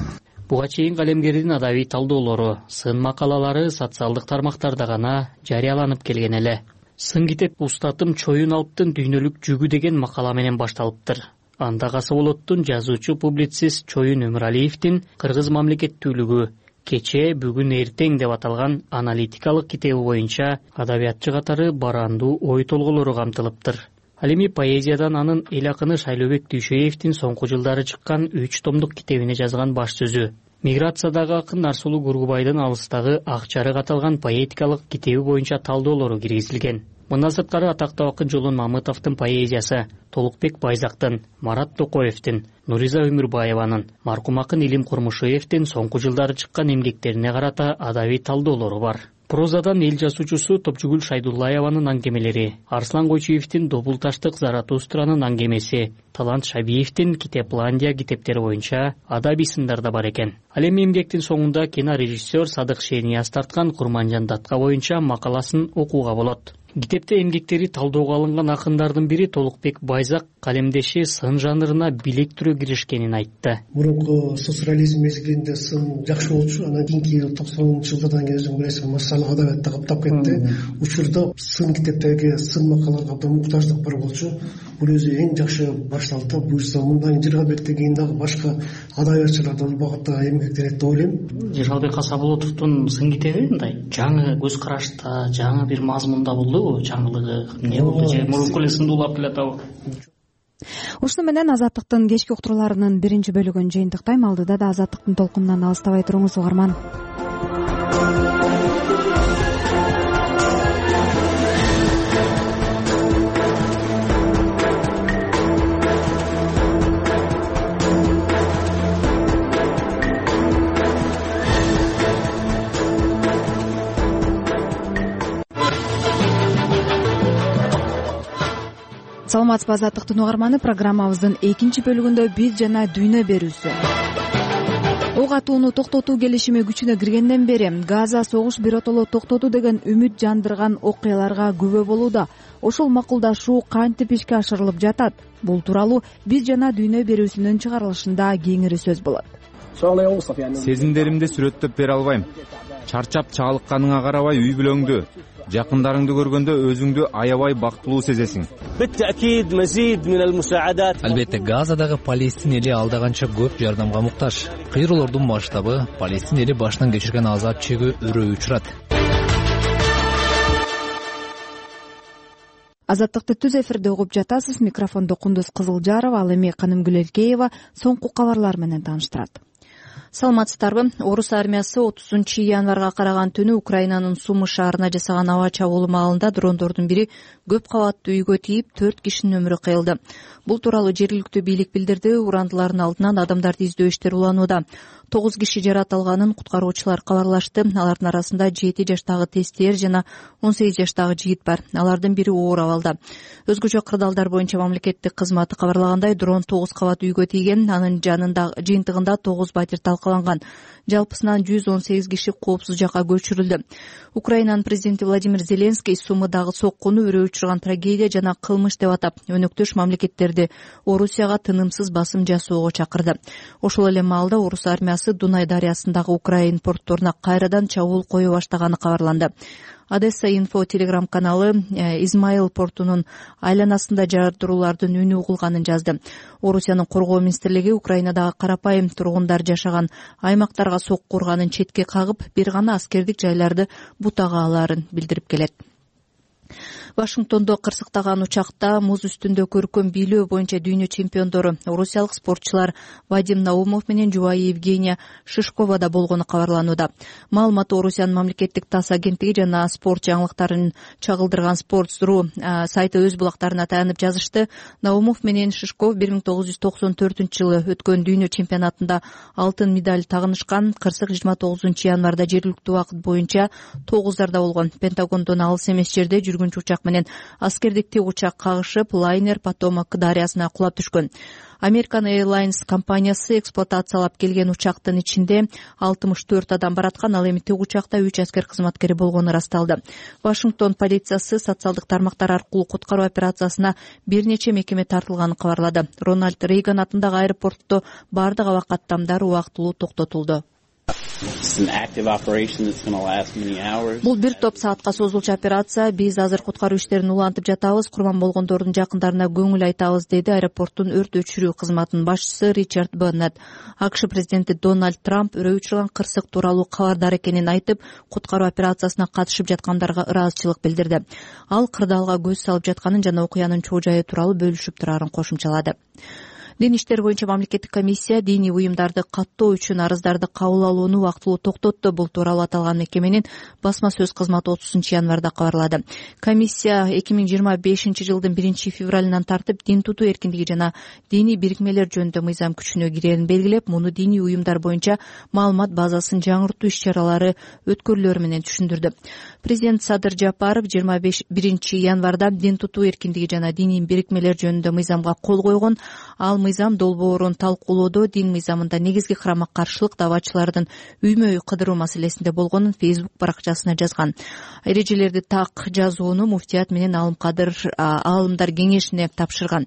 Буга чейин калемгердин адабий талдоолору, сын макалалары социалдык тармактарда гана жарыяланып келген эле. Сын китеп Устатым Чоюн Алптын дүйнөлүк жүгү деген макала менен башталыптыр. Анда Касаболоттун жазуучу публицист Чоюн Өмүралиевдин кыргыз мамлекеттүүлүгү кече, бүгүн, эртең деп аталган аналитикалык китеби боюнча адабиятчы катары барандуу ой толголору камтылыптыр. Ал эми поэзиядан анын эл акыны Шайлообек Дүйшөевдин соңку жылдары чыккан 3 томдук китебине жазган баш сөзү. Миграциядагы акын Нарсулуу Гургубайдын Алыстагы ак жарык аталган поэтикалык китеби боюнча талдоолору киргизилген. Мындан сырткары атактуу акын Жолон Мамытовдун поэзиясы, Толукбек Байзактын, Марат Токоевдин, Нуриза Өмүрбаеванын, маркум акын Илим Курмушевдин соңку жылдары чыккан эмгектерине карата адабий талдоолору бар. Прозадан эл жазуучусу Топчугүл Шайдуллаеванын аңгемелери, Арслан Койчуевдин Добулташтык Заратустранын аңгемеси, Талант Шабиевдин Китепландия китептери боюнча адабий сындар да бар экен. Ал эми эмгектин соңунда кинорежиссер Садык Шениас тарткан Курманжан Датка боюнча макаласын окууга болот. Китепте эмгектери талоого алынган акындардын бири Толукбек Байзак калемдеши сын жанрына билектирүү киришкенин айтты. Мурунку социализм мезгилинде сын жакшы болчу, анан кийинки 90-ж жылдардан кийин өзүң билесиң, массалык адабиятта каптап кетти. Учурда сын китептерге, сын макалаларга абдан муктаждык бар болчу. Бул өзү эң жакшы башталды. Буюрса мындан 20 беттен кийин дагы башка адабиятчылар да бул багытта эмгектенет деп ойлойм. Жыргалбек Касаболотовдун сын китеби мындай жаңы көз карашта, жаңы бир мазмунда болдубу? Жаңылыгы эмне болду же мурунку эле сынды улап келатабы? Ушуну менен Азаттыктын кечки уктурууларынын биринчи бөлүгүн жыйынтыктайм. Алдыда да Азаттыктын толкунунан алыстабай туруңуз угарман. Саламатсызбы Азаттыктын угарманы, программабыздын экинчи бөлүгүндө биз жана дүйнө берүүсү. Ок атууну токтотуу келишими күчүнө киргенден бери Газа согуш биротоло токтоду деген үмүт жандырган окуяларга күбө болууда. Ошол макулдашуу кантип ишке ашырылып жатат? Бул тууралуу биз жана дүйнө берүүсүнүн чыгарылышында кеңири сөз болот. Сезимдеримди сүрөттөп бере албайм. Чарчап чагылыкканыңа карабай үй бүлөңдү, жакындарыңды көргөндө өзүңдү аябай бактылуу сезесиң. Албетте, Газадагы Палестин эли алда канча көп жардамга муктаж. Кыйроолордун масштабы, Палестин эли башынан кечирген азап чегүү өрөө учурат. Азаттыкты түз эфирде угуп жатасыз. Микрофондо Кундуз Кызылжарова, ал эми Канымгүл Эркеева соңку кабарлар менен тааныштырат. Саламатсыздарбы? Орус армиясы 30-январга караган түнү Украинанын Сумы шаарына жасаган аба чабуулу маалында дрондордун бири көп кабаттуу үйгө тийип 4 кишинин өмүрү кыйылды. Бул тууралуу жергиликтүү бийлик билдирди. Урандылардын алдынан адамдарды издөө иштери уланууда. 9 киши жаракат алганын куткаруучулар кабарлашты. Алардын арасында 7 жаштагы тестиер жана 18 жаштагы жигит бар. Алардын бири оор абалда. Өзгөчө кырдаалдар боюнча мамлекеттик кызматы кабарлагандай, дрон 9 кабат үйгө тийген. Анын жанында жыйынтыгында 9 батир талкаланган. Жалпысынан 118 киши коопсуз жакка көчүрүлдү. Украинанын президенти Владимир Зеленский Сумыдагы соккуну өрөө учурган трагедия жана кылмыш деп атап, өнөктөш мамлекеттерди Орусияга тынымсыз басым жасоого чакырды. Ошол эле маалда Орус армиясы Дунай дарыясындагы Украин портторуна кайрадан чабуул кое баштаганы кабарланды. Одесса Инфо телеграм каналы Измаил портунун айланасында жардыруулардын үнү угулганын жазды. Орусиянын коргоо министрлиги Украинадагы карапайым тургундар жашаган аймактарга сокку урганын четке кагып, бир гана аскердик жайларды бутага алаарын билдирип келет. Вашингтондо кырсыктаган учакта муз үстүндө көркөм бийлөө боюнча дүйнө чемпиондору орусиялык спортчулар Вадим Наумов менен жубайы Евгения Шишковада болгону кабарланууда. Маалымат Орусиянын мамлекеттик ТАСС агенттиги жана спорт жаңылыктарын чагылдырган Sports.ru сайты өз булактарына таянып жазышты. Наумов менен Шишков 1994-жылы өткөн дүйнө чемпионатында алтын медаль тагынышкан. Кырсык 29-январда жергиликтүү убакыт боюнча 9-зарда болгон. Пентагондон алыс эмес жерде жүргүнчү учак менен аскердик учак кагышып, лайнер Потомак дарыясына кулап түшкөн. American Airlines компаниясы эксплуатациялап келген учактын ичинде 64 адам бараткан. Ал эми тик учакта 3 аскер кызматкери болгону ырасталды. Вашингтон полициясы социалдык тармактар аркылуу куткаруу операциясына бир нече мекеме тартылганын кабарлады. Рональд Рейган атындагы аэропортто бардык аба каттамдар убактылуу токтотулду. Бул бир топ саатка созулчу операция. Биз азыр куткаруу иштерин улантып жатабыз. Курман болгондордун жакындарына көңүл айтабыз, деди аэропорттун өрт өчүрүү кызматынын башчысы Ричард Беннет. АКШ президенти Дональд Трамп өрөө учурган кырсык тууралуу кабардар экенин айтып, куткаруу операциясына катышып жаткандарга ыраазычылык билдирди. Ал кырдаалга көз салып жатканын жана окуянын чоо жайы тууралуу бөлүшүп турарын кошумчалады. Дин иштери боюнча мамлекеттик комиссия диний уюмдарды каттоо үчүн арыздарды кабыл алууну убактылуу токтотту. Бул тууралуу аталган мекеменин басма сөз кызматы 30-январда кабарлады. Комиссия 2025-жылдын 1-февралынан тартып дин тутуу эркиндиги жана диний бирикмелер жөнүндө мыйзам күчүнө кирерин белгилеп, муну диний уюмдар боюнча маалымат базасын жаңыртуу иш-чаралары өткөрүлөрү менен түшүндүрдү. Президент Садыр Жапаров 21-январда дин тутуу эркиндиги жана диний бирикмелер жөнүндө мыйзамга кол койгон. Ал мыйзам долбоорун талкуулоодо дин мыйзамында негизги карама каршылык давачылардын үймө үй кыдыруу маселесинде болгонун Facebook баракчасына жазган. Эрежелерди так жазууну муфтият менен аалымдар кеңешине тапшырган.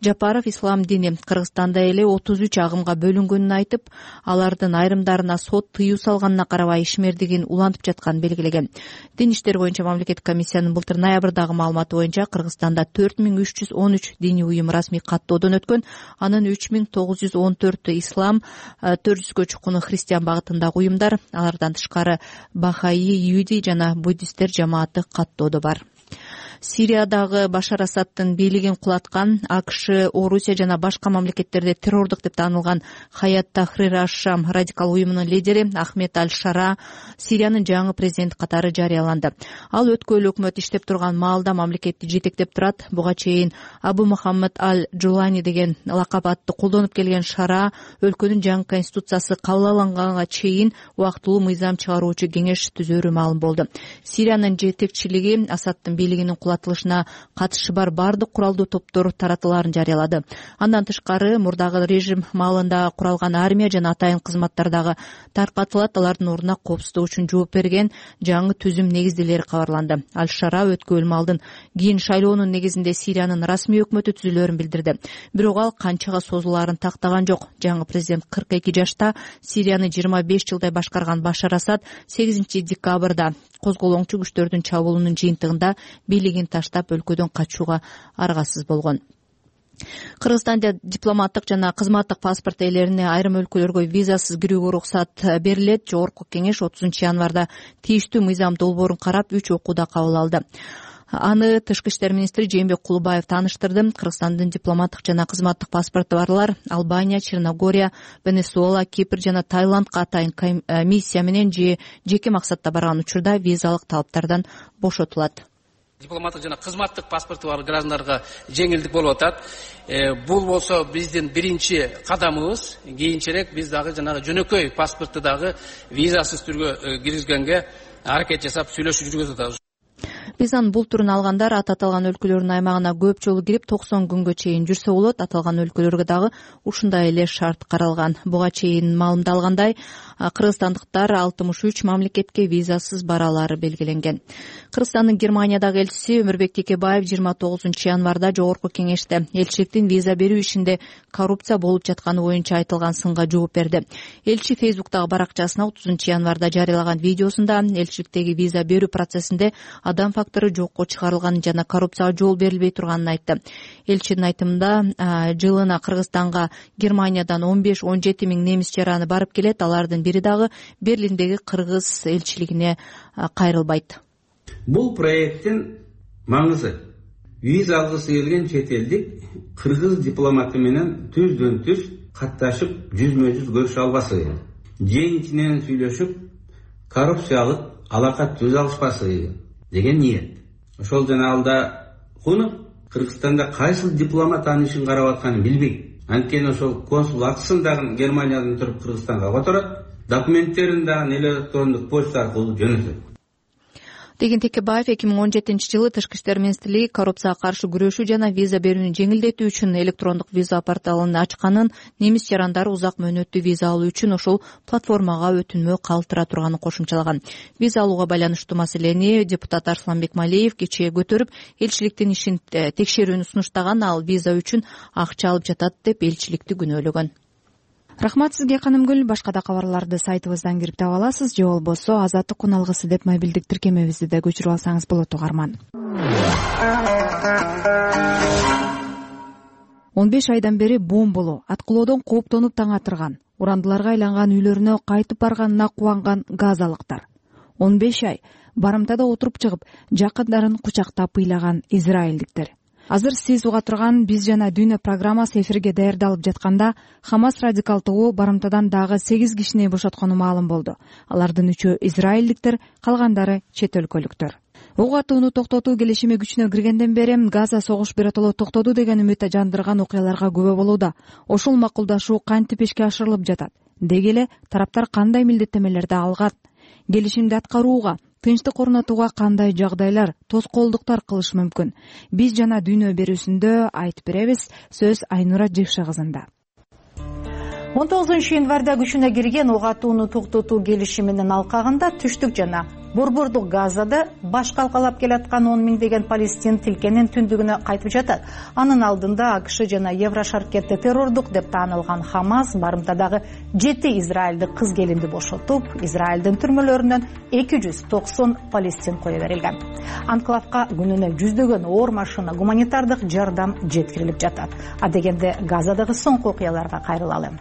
Жапаров ислам дини Кыргызстанда эле 33 агымга бөлүнгөнүн айтып, алардын айрымдарына сот тыюу салганына карабай ишмердигин улантып жатканын белгилеген. Дин иштери боюнча мамлекеттик комиссиянын былтыр ноябрдагы маалыматы боюнча Кыргызстанда 4313 дини уюм расмий каттоодон өткөн, анын 3914 ислам, 400гө чукуну христиан багытындагы уюмдар, алардан тышкары Бахаи, Иуди жана буддисттер жамааты каттоодо бар. Сириядагы Башар Асадтын бийлигин кулаткан АКШ, Орусия жана башка мамлекеттерде террордук деп таанылган Хаят Тахрир аш-Шам радикал уюмунун лидери Ахмед Аль-Шара Сириянын жаңы президенти катары жарыяланды. Ал өткөн өкмөт иштеп турган маалда мамлекетти жетектеп турат. Буга чейин Абу Мухаммад Аль-Джулани деген лакап атты колдонуп келген Шара өлкөнүн жаңы конституциясы кабыл алынганга чейин убактылуу мыйзам чыгаруучу кеңеш түзөрү маалым болду. Сириянын жетекчилиги Асадтын бийлигинин кулатылышына катышы бар бардык куралдуу топтор таратылаарын жарыялады. Андан тышкары мурдагы режим маалында куралган армия жана атайын кызматтардагы таркатылат, алардын ордуна коопсуздук үчүн жооп берген жаңы түзүм негиздүүлөрү кабарланды. Аль-Шара өткөн маалдын кийин шайлоонун негизинде Сириянын расмий өкмөтү түзүлөрүн билдирди. Бирок ал канчага созулаарын тактаган жок. Жаңы президент 42 жашта. Сирияны 25 жылдай башкарган Башар Асад 8 декабрда козголоңчу күчтөрдүн чабуулунун жыйынтыгында бийлигин таштап өлкөдөн качууга аргасыз болгон. Кыргызстанда дипломаттык жана кызматтык паспорт ээлерине айрым өлкөлөргө визасыз кирүүгө уруксат берилет. Жогорку кеңеш 30 январда тийиштүү мыйзам долбоорун карап 3 окууда кабыл алды. Аны Тышкы иштер министри Жээнбек Кулубаев тааныштырды. Кыргызстандын дипломаттык жана кызматтык паспорту барлар Албания, Черногория, Венесуэла, Кипр жана Таиландка атайын миссия менен же жеке максатта барган учурда визалык талаптардан бошотулат. Дипломаттык жана кызматтык паспорту бар граждандарга жеңилдик болуп атат. Бул болсо биздин биринчи кадамыбыз. Кийинчерээк биз дагы жанагы жөнөкөй паспорту дагы визасыз түргө киргизгенге аракет жасап сүйлөшүп жүргүзүп атабыз. Визанын бул түрүн алгандар аталган өлкөлөрдүн аймагына көп жолу кирип 90 күнгө чейин жүрсө болот. Аталган өлкөлөргө дагы ушундай эле шарт каралган. Буга чейин маалымдалгандай, кыргызстандыктар 63 мамлекетке визасыз баралары белгиленген. Кыргызстандын Германиядагы элчиси Өмүрбек Текебаев 29 январда жогорку кеңеште элчиликтин виза берүү ишинде коррупция болуп жатканы боюнча айтылган сынга жооп берди. Элчи Facebook'тагы баракчасына 30 январда жарыялаган видеосунда элчиликтеги виза берүү процессинде адам фактору жокко чыгарылганын жана коррупцияга жол берилбей турганын айтты. Элчинин айтымында жылына Кыргызстанга Германиядан 15-17 миң немис жараны барып келет. Алардын бири дагы Берлиндеги кыргыз элчилигине кайрылбайт. Бул проекттин маңызы виза алгысы келген чет элдик кыргыз дипломаты менен түздөн түз катташып жүзмө-жүз көрүшө албасы, жең-ичинен сүйлөшүп коррупциялык алака түзө алышпасы деген ниет. Ошол жана алда куну Кыргызстанда кайсыл дипломат анын ишин карап атканын билбейт. Анткени ошол консул акысын дагы Германиядан туруп Кыргызстанга которот, документтерин дагы электрондук почта аркылуу жөнөтөт. Деген Текебаев 2017 жылы Тышкы иштер министрлиги коррупцияга каршы күрөшүү жана виза берүүнү жеңилдетүү үчүн электрондук виза порталын ачканын, немис жарандары узак мөөнөттүү виза алуу үчүн ошол платформага өтүнмө калтыра турганын кошумчалаган. Виза алууга байланыштуу маселени депутат Арсланбек Малиев кечээ көтөрүп, элчиликтин ишин текшерүүнү сунуштаган. Ал виза үчүн акча алып жатат деп элчиликти күнөөлөгөн. Рахмат сизге, Канымгүл. Башка да кабарларды сайтыбыздан кирип таба аласыз, же болбосо Азаттык күн алгысы деп мобилдик тиркемебизди да көчүрүп алсаңыз болот, угарман. 15 айдан бери бомболоо, аткылоодон кооптонуп таң атырган, урандыларга айланган үйлөрүнө кайтып барганына кубанган газалыктар. 15 ай барымтада отуруп чыгып, жакындарын кучактап ыйлаган израилдиктер. Азыр сиз уга турган Биз жана Дүйнө программасы эфирге даярдалып жатканда Хамас радикал тобу барымтадан дагы 8 кишини бошоткону маалым болду. Алардын 3-өө израилдиктер, калгандары чет өлкөлүктөр. Ок атууну токтотуу келишими күчүнө киргенден бери Газа согуш биротоло токтоду деген үмүт жандырган окуяларга күбө болууда. Ошол макулдашуу кантип ишке ашырылып жатат? Деги эле тараптар кандай милдеттемелерди алган? Келишимди аткарууга тынчтык орнотууга кандай жагдайлар, тоскоолдуктар кылышы мүмкүн? Биз жана дүйнө берүүсүндө айтып беребиз. Сөз Айнура Жекше кызында. 19 январда күчүнө кирген ок атууну токтотуу келишиминин алкагында түштүк жана борбордук Газада баш калкалап келаткан 10 миңдеген палестин тилкенин түндүгүнө кайтып жатат. Анын алдында АКШ жана Еврошаркетте террордук деп таанылган Хамас барымтадагы 7 израилдик кыз келинди бошотуп, Израилдин түрмөлөрүнөн 290 палестин кое берилген. Анклавка күнүнө жүздөгөн оор машина гуманитардык жардам жеткирилип жатат. А дегенде Газадагы соңку окуяларга кайрылалы.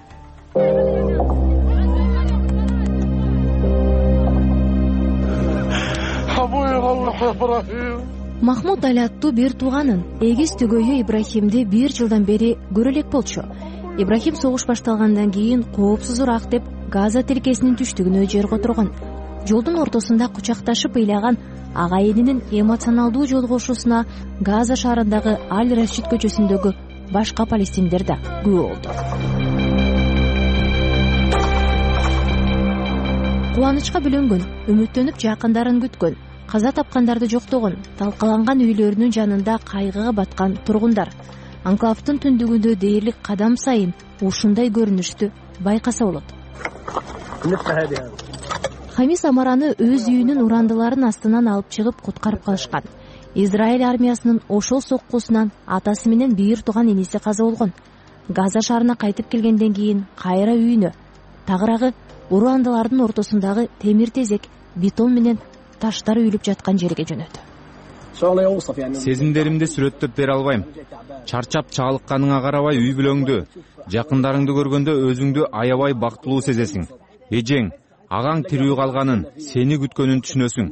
Махмуд Али аттуу бир тууганын эгиз түгөйү Ибрахимди 1 жылдан бери көрө элек болчу. Ибрахим согуш башталгандан кийин коопсузураак деп Газа тилкесинин түштүгүнө жер которгон. Жолдун ортосунда кучакташып ыйлаган агайынынын эмоционалдуу жолугушуусуна Газа шаарындагы Аль-Рашид көчөсүндөгү башка палестиндер да күбө болду. Кубанычка бөлөнгөн, үмүттөнүп жакындарын күткөн, каза тапкандарды жоктогон, талкаланган үйлөрүнүн жанында кайгыга баткан тургундар. Анклавдын түндүгүндө дээрлик кадам сайын ушундай көрүнүштү байкаса болот. Хамис Амараны өз үйүнүн урандыларын астынан алып чыгып куткарып калышкан. Израиль армиясынын ошол соккусунан атасы менен бир тууган иниси каза болгон. Газа шаарына кайтып келгенден кийин кайра үйүнө, тагыраагы урандылардын ортосундагы темир тезек, бетон менен таштар үйүлүп жаткан жерге жөнөдү. Сезимдеримди сүрөттөп бере албайм. Чарчап чалыкканыңа карабай үй бүлөңдү, жакындарыңды көргөндө өзүңдү аябай бактылуу сезесиң. Эжең, агаң тирүү калганын, сени күткөнүн түшүнөсүң.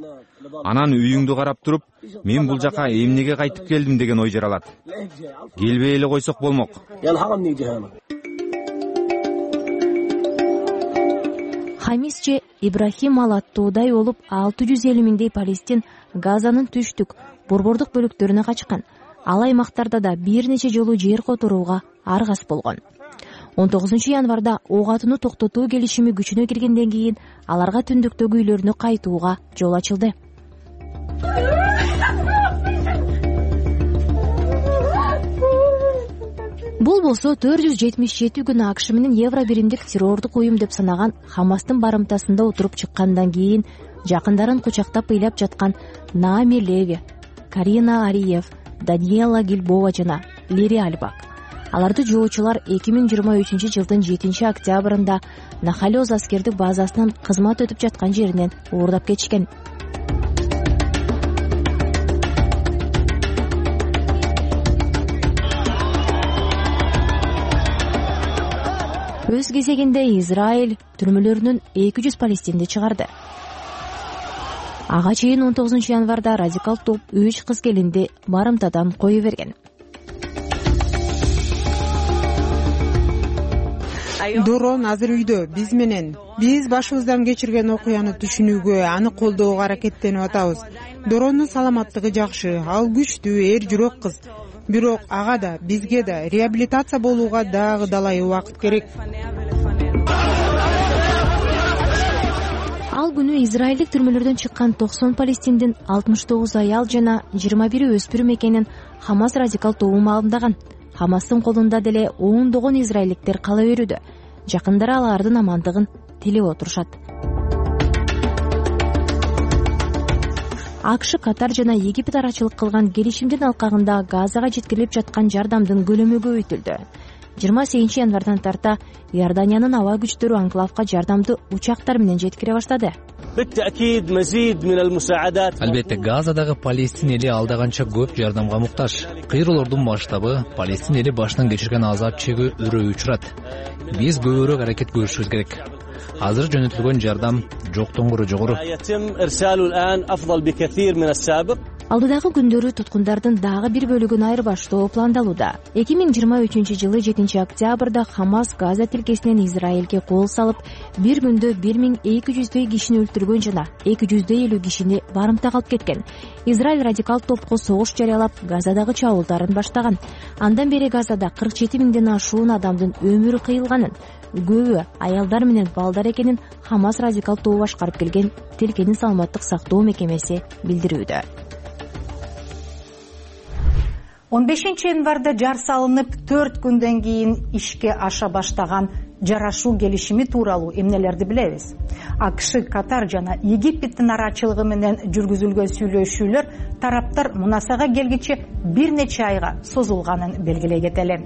Анан үйүңдү карап туруп, мен бул жака эмнеге кайтып келдим деген ой жаралат. Келбей эле койсок болмок. Хамисче Ибрахим ал аттуудай болуп 650 миңдей палестин Газанын түштүк, борбордук бөлүктөрүнө качкан. Ал аймактарда да бир нече жолу жер которууга аргас болгон. 19 январда ок атууну токтотуу келишими күчүнө киргенден кийин аларга түндүктөгү үйлөрүнө кайтууга жол ачылды. Бул болсо 477 күн АКШ менен Евро биримдик террордук уюм деп санаган Хамастын барымтасында отуруп чыккандан кийин жакындарын кучактап ыйлап жаткан Наами Леви, Карина Ариев, Даниэла Гильбова жана Лири Альбак. Аларды жоочулар 2023 жылдын 7 октябрында Нахалёз аскердик базасынан кызмат өтүп жаткан жеринен уурдап кетишкен. Өз кезегинде Израиль түрмөлөрүнөн 200 палестинди чыгарды. Ага чейин 19 январда радикал топ 3 кыз келинди барымтадан кое берген. Дорон азыр үйдө биз менен. Биз башыбыздан кечирген окуяны түшүнүүгө, аны колдоого аракеттенип атабыз. Доронун саламаттыгы жакшы, ал күчтүү, эр жүрөк кыз. Бирок ага да, бизге да реабилитация болууга дагы далай убакыт керек. Ал күнү израилдик түрмөлөрдөн чыккан 90 палестиндин 69 аял жана 21 өспүрүм экенин Хамас радикал тобу маалымдаган. Хамастын колунда деле ондогон израилдиктер кала берүүдө. Жакындары алардын амандыгын тилеп отурушат. АКШ, Катар жана Египет арачылык кылган келишимдин алкагында Газага жеткирилип жаткан жардамдын көлөмү көбөйтүлдү. 28 январдан тарта Иорданиянын аба күчтөрү анклавка жардамды учактар менен жеткире баштады. Албетте, Газадагы палестин эли алдаганча көп жардамга муктаж. Кыйроолордун масштабы, палестин эли башынан кечирген азап чегүү өрөө учурат. Биз көбүрөөк аракет көрүшүбүз керек. Азыр жөнөтүлгөн жардам жоктон көрө жогору. алдыдагы күндөрү туткундардын дагы бир бөлүгүн айырбаштоо пландалууда. 2023 7 октябрда Хамас Газа тилкесинен Израилге кол салып, бир күндө 1200 кишини өлтүргөн жана 250 кишини барымтага алып кеткен. Израиль радикал топко согуш жарыялап, Газадагы чабуулдарын баштаган. Андан бери Газада 47 000ден ашуун адамдын өмүрү кыйылганын, көбү аялдар менен балдар экенин Хамас радикал тобу башкарып келген тилкенин саламаттык сактоо мекемеси билдирүүдө. 15 январда жар салынып 4 күндөн кийин ишке аша баштаган жарашуу келишими тууралуу эмнелерди билебиз? АКШ, Катар жана Египеттин арачылыгы менен жүргүзүлгөн сүйлөшүүлөр тараптар мунасага келгиче бир нече айга созулганын белгилей кетели.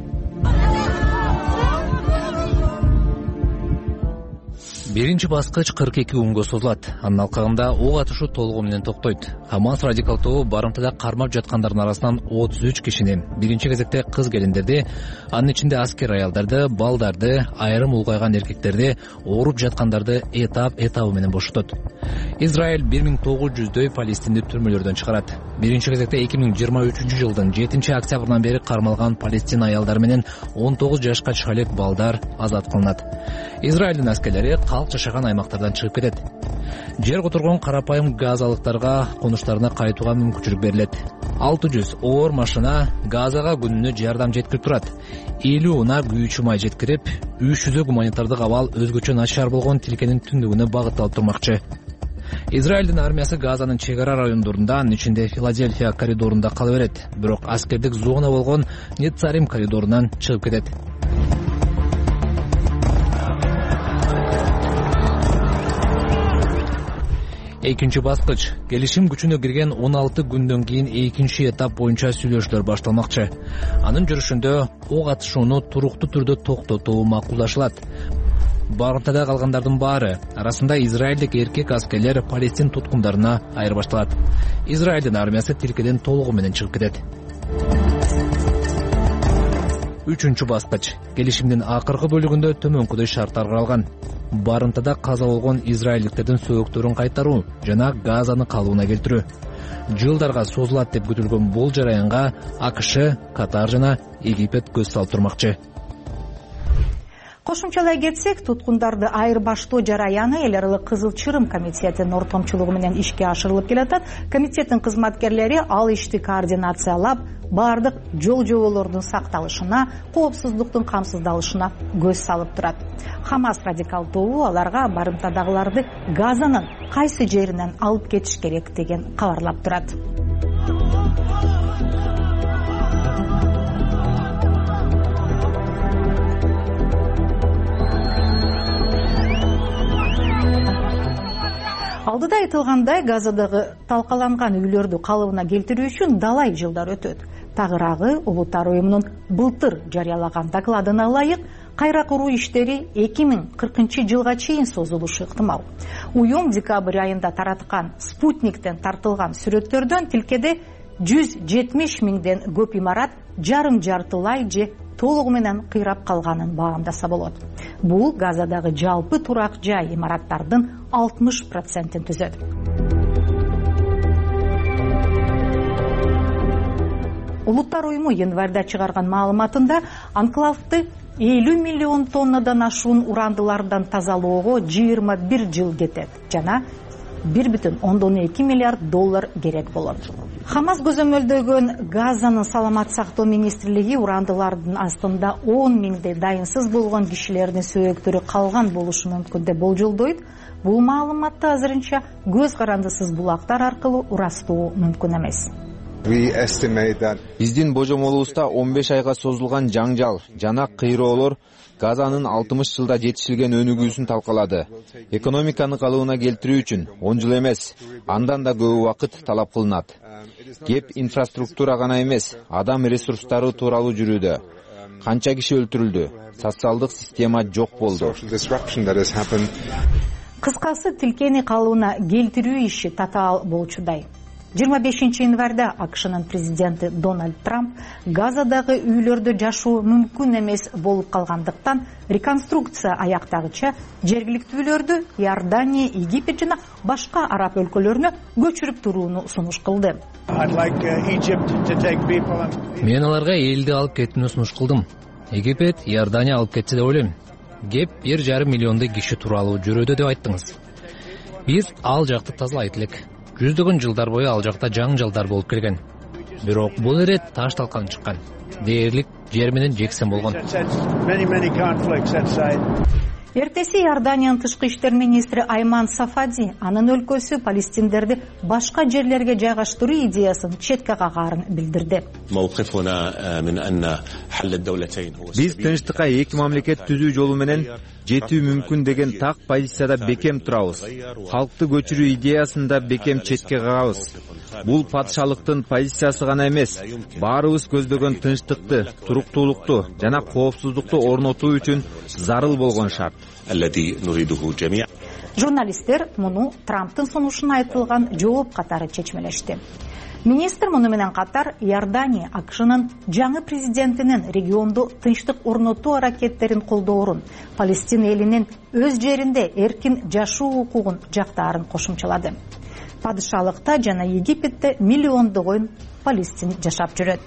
Биринчи баскыч 42 күнгө созулат. Анын алкагында ок атышуу толугу менен токтойт. Хамас радикал тобу барымтада кармап жаткандардын арасынан 33 кишини, биринчи кезекте кыз келиндерди, анын ичинде аскер аялдарды, балдарды, айрым улгайган эркектерди, ооруп жаткандарды этап менен бошотот. Израиль 1900дөй палестиндик түрмөлөрдөн чыгарат. Биринчи кезекте 2023 жылдын 7 октябрынан бери кармалган палестин аялдары менен 19 жашка чыга элек балдар азат кылынат. Израилдин аскерлери калк жашаган аймактардан чыгып кетет. Жер которгон карапайым газалыктарга конуштарына кайтууга мүмкүнчүлүк берилет. 600 оор машина Газага күнүнө жардам жеткирип турат. 50 унаа күйүүчү май жеткирип, 300 гуманитардык абал өзгөчө начар болгон тилкенин түндүгүнө багытталып турмакчы. Израилдин армиясы Газанын чек ара райондорунда, анын ичинде Филадельфия коридорунда кала берет, бирок аскердик зона болгон Нецарим коридорунан чыгып кетет. Экинчи баскыч келишим күчүнө кирген 16 күндөн кийин экинчи этап боюнча сүйлөшүүлөр башталмакчы. Анын жүрүшүндө ок атышууну туруктуу түрдө токтотуу макулдашылат. Барымтада калгандардын баары арасында израилдик эркек аскерлер палестин туткундарына айырбашталат. Израилдин армиясы тилкеден толугу менен чыгып кетет. Үчүнчү баскыч келишимдин акыркы бөлүгүндө төмөнкүдөй шарттар каралган. Барымтада каза болгон израилдиктердин сөөктөрүн кайтаруу жана Газаны калыбына келтирүү. Жылдарга созулат деп күтүлгөн бул жараянга АКШ, Катар жана Египет көз салып турмакчы. Кошумчалай кетсек, туткундарды айырбаштоо жараяны эл аралык Кызыл Чырым комитетинин ортомчулугу менен ишке ашырылып келатат. Комитеттин кызматкерлери ал ишти координациялап, бардык жол жоболордун сакталышына, коопсуздуктун камсыздалышына көз салып турат. Хамас радикал тобу аларга барымтадагыларды Газанын кайсы жеринен алып кетиш керек деген кабарлап турат. Алдыда айтылгандай, Газадагы талкаланган үйлөрдү калыбына келтирүү үчүн далай жылдар өтөт. Тагыраагы Улуттар уюмунун былтыр жарыялаган докладына ылайык, кайра куруу иштери 2040 жылга чейин созулушу ыктымал. Уюм декабрь айында тараткан спутниктен тартылган сүрөттөрдөн тилкеде 170 000ден көп имарат жарым-жартылай же толугу менен кыйрап калганын баамдаса болот. Бул Газадагы жалпы турак жай имараттардын 60%-ин түзөт. Улуттар уюму январда чыгарган маалыматында анклавды 50 миллион тоннадан ашуун урандылардан тазалоого 21 жыл кетет жана 1,2 миллиард доллар керек болот. Хамас көзөмөлдөгөн Газанын саламат сактоо министрлиги урандылардын астында 10 000дей дайынсыз болгон кишилердин сөөктөрү калган болушу мүмкүн деп болжолдойт. Бул маалыматты азырынча көз карандысыз булактар аркылуу ырастоо мүмкүн эмес. Биздин божомолубузда 15 айга созулган жаңжал жана кыйроолор Газанын 60 жылда жетишилген өнүгүүсүн талкалады. Экономиканы калыбына келтирүү үчүн 10 жыл эмес, андан да көп убакыт талап кылынат. Кеп инфраструктура гана эмес, адам ресурстары тууралуу жүрүүдө. Канча киши өлтүрүлдү? Социалдык система жок болду. Кыскасы, тилкени калыбына келтирүү иши татаал болчудай. 25 январда АКШнын президенти Дональд Трамп Газадагы үйлөрдө жашоо мүмкүн эмес болуп калгандыктан реконструкция аяктагыча жергиликтүүлөрдү Иордания, Египет жана башка араб өлкөлөрүнө көчүрүп турууну сунуш кылды. Мен аларга элди алып кетүүнү сунуш кылдым. Египет, Иордания алып кетсе деп ойлойм. Кеп 1,5 миллиондой киши тууралуу жүрөдө деп айттыңыз. Биз ал жакты тазалайт элек. Жүздөгөн жылдар бою ал жакта жаңжалдар болуп келген. Бирок бул ирет таш талкан чыккан. Дээрлик жер менен жексен болгон. Эртеси Иорданиянын тышкы иштер министри Айман Сафади анын өлкөсү палестиндерди башка жерлерге жайгаштыруу идеясын четке кагаарын билдирди. Биз тынчтыкка эки мамлекет түзүү жолу менен жетүү мүмкүн деген так позицияда бекем турабыз. Халкты көчүрүү идеясын да бекем четке кагабыз. Бул патшалыктын позициясы гана эмес, баарыбыз көздөгөн тынчтыкты, туруктуулукту жана коопсуздукту орнотуу үчүн зарыл болгон шарт. Журналисттер муну Трамптын сунушуна айтылган жооп катары чечмелешти. Министр муну менен катар Иордания АКШнын жаңы президентинин региондо тынчтык орнотуу аракеттерин колдоорун, Палестин элинин өз жеринде эркин жашоо укугун жактаарын кошумчалады. Падышалыкта жана Египетте миллиондогон палестин жашап жүрөт.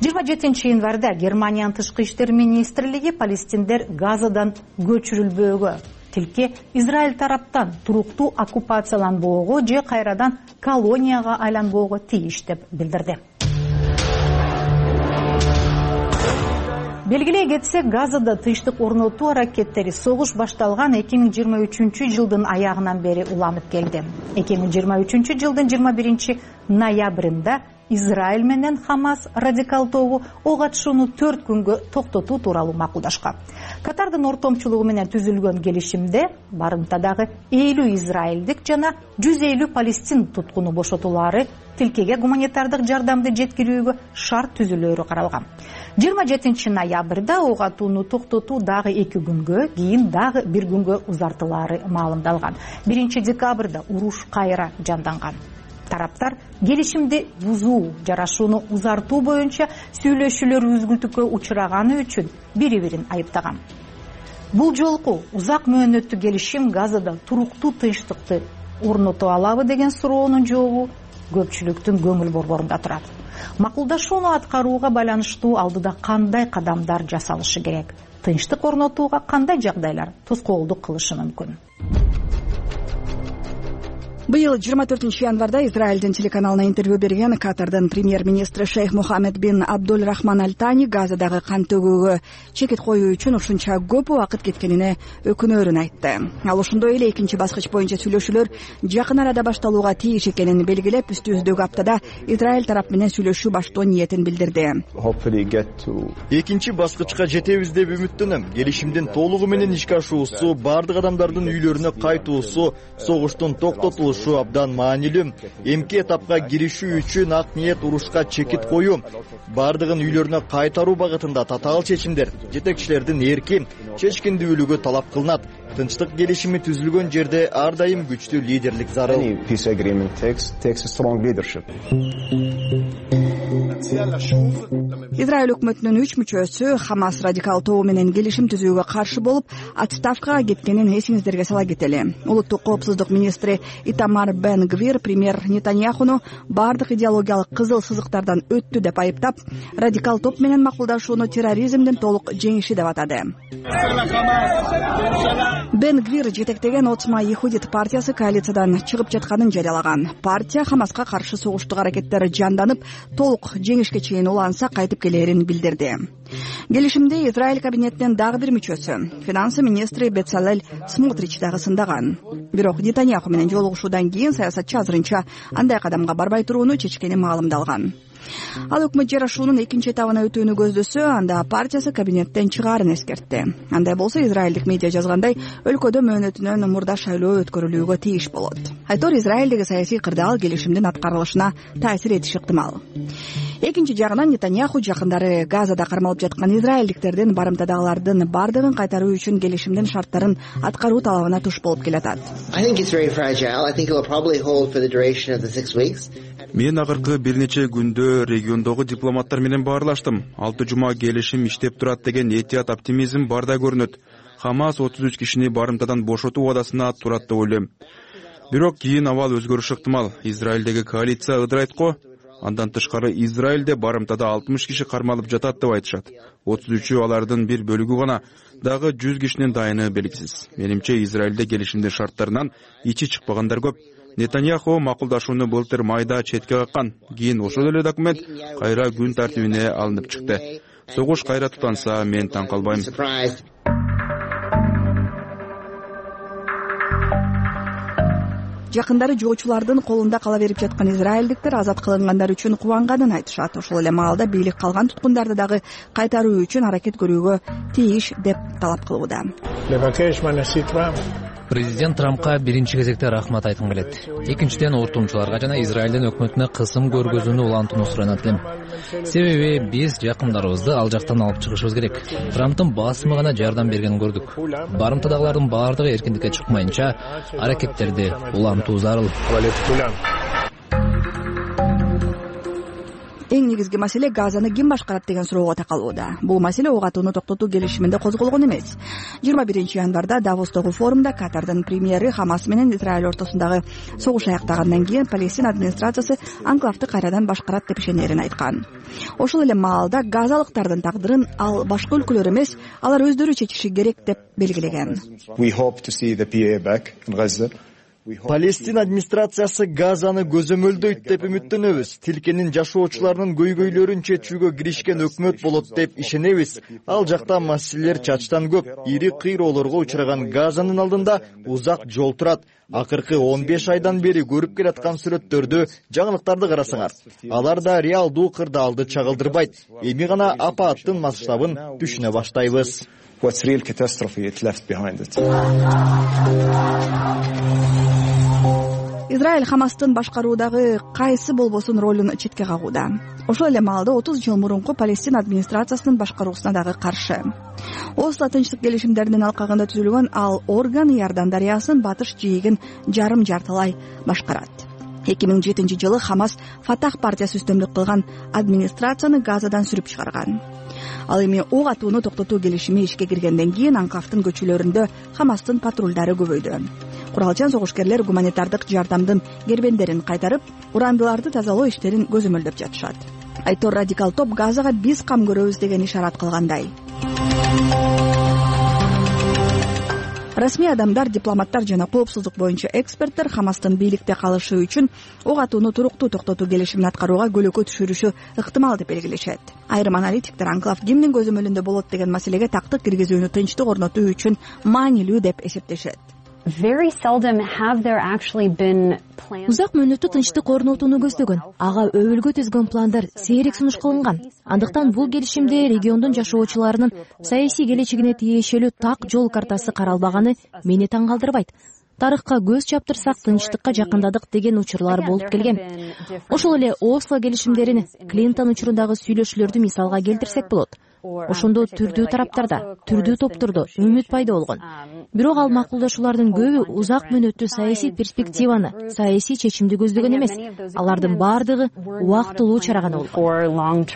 27 январда Германиянын тышкы иштер министрлиги палестиндер Газадан көчүрүлбөөгө, тилке Израиль тараптан туруктуу оккупацияланбоого же кайрадан колонияга айланбоого тийиш деп билдирди. Белгилей кетсек, Газада тынчтык орнотуу аракеттери согуш башталган 2023 жылдын аягынан бери уланып келди. 2023 жылдын 21 ноябрында Израиль менен Хамас радикал тобу ок атышууну 4 күнгө токтотуу тууралуу макулдашкан. Катардын ортомчулугу менен түзүлгөн келишимде барымтадагы 50 израилдик жана 150 палестин туткуну бошотулары, тилкеге гуманитардык жардамды жеткирүүгө шарт түзүлөөрү каралган. 27 ноябрда ок атууну токтотуу дагы 2 күнгө, кийин дагы 1 күнгө узартылаары маалымдалган. 1 декабрда уруш кайра жанданган. Тараптар келишимди бузуу, жарашууну узартуу боюнча сүйлөшүүлөр үзгүлтүккө учураганы үчүн бири-бирин айыптаган. Бул жолку узак мөөнөттүү келишим Газада туруктуу тынчтыкты орното алабы деген суроонун жообу көпчүлүктүн көңүл борборунда турат. Макулдашууну аткарууга байланыштуу алдыда кандай кадамдар жасалышы керек? Тынчтык орнотууга кандай жагдайлар тоскоолдук кылышы мүмкүн? Быйыл 24 январда Израилдин телеканалына интервью берген Катардын премьер-министри Шейх Мухаммед бин Абдул Рахман Аль-Тани Газадагы кан төгүүгө чекит коюу үчүн ушунча көп убакыт кеткенине өкүнөөрүн айтты. Ал ошондой эле экинчи баскыч боюнча сүйлөшүүлөр жакын арада башталууга тийиш экенин белгилеп, үстүбүздөгү аптада Израиль тарап менен сүйлөшүү баштоо ниетин билдирди. Экинчи баскычка жетебиз деп үмүттөнөм. Келишимдин толугу менен ишке ашуусу, бардык адамдардын үйлөрүнө кайтуусу, согуштун токтотулушу абдан маанилүү. Эмки этапка киришүү үчүн ак ниет урушка чекит коюу, бардыгын үйлөрүнө кайтаруу багытында татаал чечимдер, жетекчилердин эрки, чечкиндүүлүгү талап кылынат. Тынчтык келишими түзүлгөн жерде ар дайым күчтүү лидерлик зарыл. Израиль өкмөтүнүн 3 мүчөсү Хамас радикал тобу менен келишим түзүүгө каршы болуп, отставкага кеткенин эсиңиздерге сала кетели. Улуттук коопсуздук министри Итамар Бен Гвир премьер Нетаньяхуну бардык идеологиялык кызыл сызыктардан өттү деп айыптап, радикал топ менен макулдашууну терроризмдин толук жеңиши деп атады. Бен Гвир жетектеген Отма Ихудит партиясы коалициядан чыгып жатканын жарыялаган. Партия Хамаска каршы согуштук аракеттер жанданып, толук жеңишке чейин уланса кайтып келээрин билдирди. Келишимде Израиль кабинетинин дагы бир мүчөсү, финансы министри Бецалель Смотрич дагы сындаган. Бирок Нетаньяху менен жолугушуудан кийин саясатчы азырынча андай кадамга барбай турууну чечкени маалымдалган. Ал өкмөт жарашуунун экинчи этабына өтүүнү көздөсө, анда партиясы кабинеттен чыгаарын эскертти. Андай болсо израилдик медиа жазгандай, өлкөдө мөөнөтүнөн мурда шайлоо өткөрүлүүгө тийиш болот. Айтор Израилдеги саясий кырдаал келишимдин аткарылышына таасир этиши ыктымал. Экинчи жагынан Нетаньяху жакындары Газада кармалып жаткан израилдиктердин барымтадагылардын бардыгын кайтаруу үчүн келишимдин шарттарын аткаруу талабына туш болуп келатат. мен акыркы бир нече күндө региондогу дипломаттар менен баарлаштым. 6 жума келишим иштеп турат деген этият оптимизм бар да көрүнөт. Хамас 33 кишини барымтадан бошотуу убадасына турат деп ойлойм. Бирок кийин абал өзгөрүшү ыктымал. Израилдеги коалиция ыдырайт го. Андан тышкары Израилде барымтада 60 киши кармалып жатат деп айтышат. 33-ү алардын бир бөлүгү гана, дагы 100 кишинин дайыны белгисиз. Менимче Израилде келишимдин шарттарынан ичи чыкпагандар көп. Нетаньяху макулдашууну былтыр майда четке каккан. Кийин ошол эле документ кайра күн тартибине алынып чыкты. Согуш кайра тутанса мен таң калбайм. Жакындары жоочулардын колунда кала берип жаткан израилдиктер азат кылынгандар үчүн кубанганын айтышат. Ошол эле маалда бийлик калган туткундарды дагы кайтаруу үчүн аракет көрүүгө тийиш деп талап кылууда. Президент Трампка биринчи кезекте рахмат айткым келет. Экинчиден ортомчуларга жана Израилдин өкмөтүнө кысым көргөзүүнү улантууну суранат элем. Себеби биз жакындарыбызды ал жактан алып чыгышыбыз керек. Трамптын басымы гана жардам бергенин көрдүк. Барымтадагылардын баардыгы эркиндикке чыкмайынча аракеттерди улантуу зарыл. Эң негизги маселе Газаны ким башкарат деген суроого такалууда. Бул маселе ок атууну токтотуу келишиминде козголгон эмес. 21 январда Давостогу форумда Катардын премьери Хамас менен Израиль ортосундагы согуш аяктагандан кийин Палестина администрациясы анклавды кайрадан башкарат деп ишенерин айткан. Ошол эле маалда газалыктардын тагдырын ал башка өлкөлөр эмес, алар өздөрү чечиши керек деп белгилеген. Палестина администрациясы Газаны көзөмөлдөйт деп үмүттөнөбүз. Тилкенин жашоочуларынын көйгөйлөрүн чечүүгө киришкен өкмөт болот деп ишенебиз. Ал жакта маселелер чачтан көп. Ири кыйроолорго учураган Газанын алдында узак жол турат. Акыркы 15 айдан бери көрүп келаткан сүрөттөрдү, жаңылыктарды карасаңар, алар да реалдуу кырдаалды чагылдырбайт. Эми гана апаттын масштабын түшүнө баштайбыз. Израиль Хамастын башкаруудагы кайсы болбосун ролун четке кагууда. Ошол эле маалда 30 жыл мурунку Палестина администрациясынын башкаруусуна дагы каршы. Осло тынчтык келишимдеринин алкагында түзүлгөн ал орган Иордан дарыясынын батыш жээгин жарым жартылай башкарат. 2007 жылы Хамас Фатах партиясы үстөмдүк кылган администрацияны Газадан сүрүп чыгарган. Ал эми ок атууну токтотуу келишими ишке киргенден кийин анклавдын көчөлөрүндө Хамастын патрулдары көбөйдү. Куралчан согушкерлер гуманитардык жардамдын кербендерин кайтарып, урандыларды тазалоо иштерин көзөмөлдөп жатышат. Айтор радикал топ Газага биз кам көрөбүз деген ишарат кылгандай. Расмий адамдар, дипломаттар жана коопсуздук боюнча эксперттер Хамастын бийликте калышы үчүн ок атууну туруктуу токтотуу келишимин аткарууга көлөкө түшүрүшү ыктымал деп белгилешет. Айрым аналитиктер анклав кимдин көзөмөлүндө болот деген маселеге тактык киргизүүнү тынчтык орнотуу үчүн маанилүү деп эсептешет. Узак мөөнөттүү тынчтык орнотууну көздөгөн, ага өбөлгө түзгөн пландар сейрек сунуш кылынган. Андыктан бул келишимде региондун жашоочуларынын саясий келечегине тиешелүү так жол картасы каралбаганы мени таң калтырбайт. Тарыхка көз чаптырсак, тынчтыкка жакындадык деген учурлар болуп келген. Ошол эле Осло келишимдерин, Клинтон учурундагы сүйлөшүүлөрдү мисалга келтирсек болот. Ошондо түрдүү тараптарда, түрдүү топтордо үмүт пайда болгон. Бирок ал макулдашуулардын көбү узак мөөнөттүү саясий перспективаны, саясий чечимди көздөгөн эмес. Алардын баардыгы убактылуу чара гана болгон.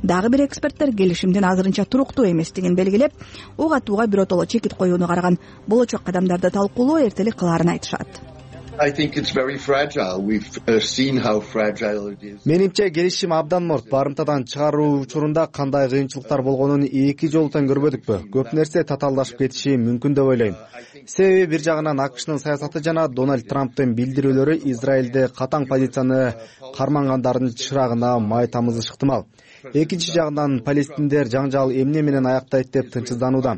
Дагы бир эксперттер келишимдин азырынча туруктуу эместигин белгилеп, ок атууга биротоло чекит коюуну караган болочок кадамдарды талкуулоо эртелик кылаарын айтышат. Менимче келишим абдан морт. Барымтадан чыгаруу учурунда кандай кыйынчылыктар болгонун эки жолу тең көрбөдүкпү. Көп нерсе татаалдашып кетиши мүмкүн деп ойлойм. Себеби бир жагынан АКШнын саясаты жана Дональд Трамптын билдирүүлөрү Израилде катаң позицияны кармангандардын чырагына май тамызышы ыктымал. Экинчи жагынан палестиндер жаңжал эмне менен аяктайт деп тынчсызданууда.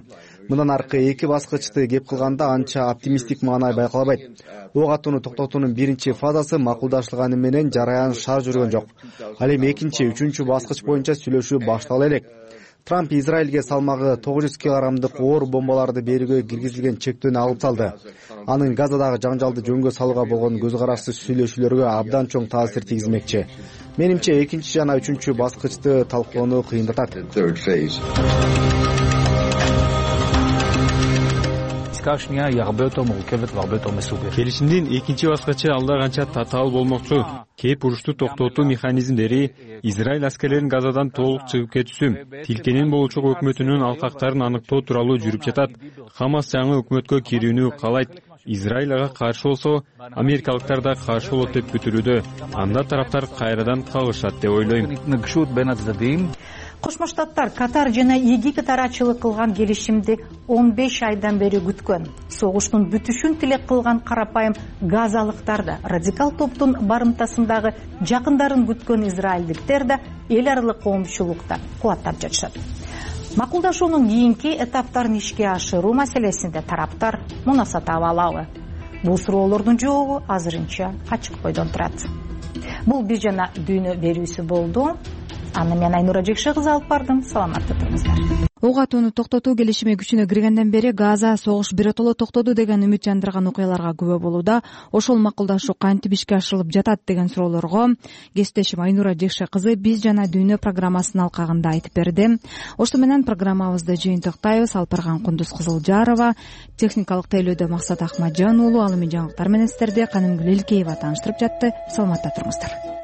Мындан аркы эки баскычты кеп кылганда анча оптимисттик маанай байкалбайт. Ок атууну токтотуунун биринчи фазасы макулдашылганы менен жараян шаар жүргөн жок. Ал эми экинчи, үчүнчү баскыч боюнча сүйлөшүү баштала элек. Трамп Израилге салмагы 900 килограммдык оор бомбаларды берүүгө киргизилген чектөөнү алып салды. Анын Газадагы жаңжалды жөнгө салууга болгон көз карашсыз сүйлөшүүлөргө абдан чоң таасир тийгизмекчи. Менимче экинчи жана үчүнчү баскычты талкуулоону кыйындатат. келишимдин экинчи баскычы алда канча татаал болмокчу. Кеп урушту токтотуу механизмдери, Израиль аскерлеринин Газадан толук чыгып кетүүсү, Тилкенин болчок өкмөтүнүн алкактарын аныктоо тууралуу жүрүп жатат. Хамас жаңы өкмөткө кирүүнү каалайт. Израиль ага каршы болсо, америкалыктар да каршы болот деп күтүлүүдө. Анда тараптар кайрадан кагышат деп ойлойм. Кошмо Штаттар Катар жана Египет арачылык кылган келишимди 15 айдан бери күткөн. Согуштун бүтүшүн тилек кылган карапайым газалыктар да, радикал топтун барымтасындагы жакындарын күткөн израилдиктер да эл аралык коомчулукта кубаттап жатышат. Макулдашуунун кийинки этаптарын ишке ашыруу маселесинде тараптар мунаса таба алабы? Бул суроолордун жообу азырынча ачык бойдон турат. Бул биз жана дүйнө берүүсү болду. Аны мен Айнура Жекше кызы алып бардым. Саламатта туруңуздар. Ок атууну токтотуу келишими күчүнө киргенден бери Газа согуш биротоло токтоду деген үмүт жандырган окуяларга күбө болууда. Ошол макулдашуу кантип ишке ашырылып жатат деген суроолорго кесиптешим Айнура Жекше кызы биз жана дүйнө программасынын алкагында айтып берди. Ошто менен программабызды жыйынтыктайбыз. Алып барган Кундуз Кызылжарова, техникалык тейлөөдө Максат Акматжан уулу, ал эми жаңылыктар менен сиздерди Канымгүл Элкеева тааныштырып жатты. Саламатта туруңуздар.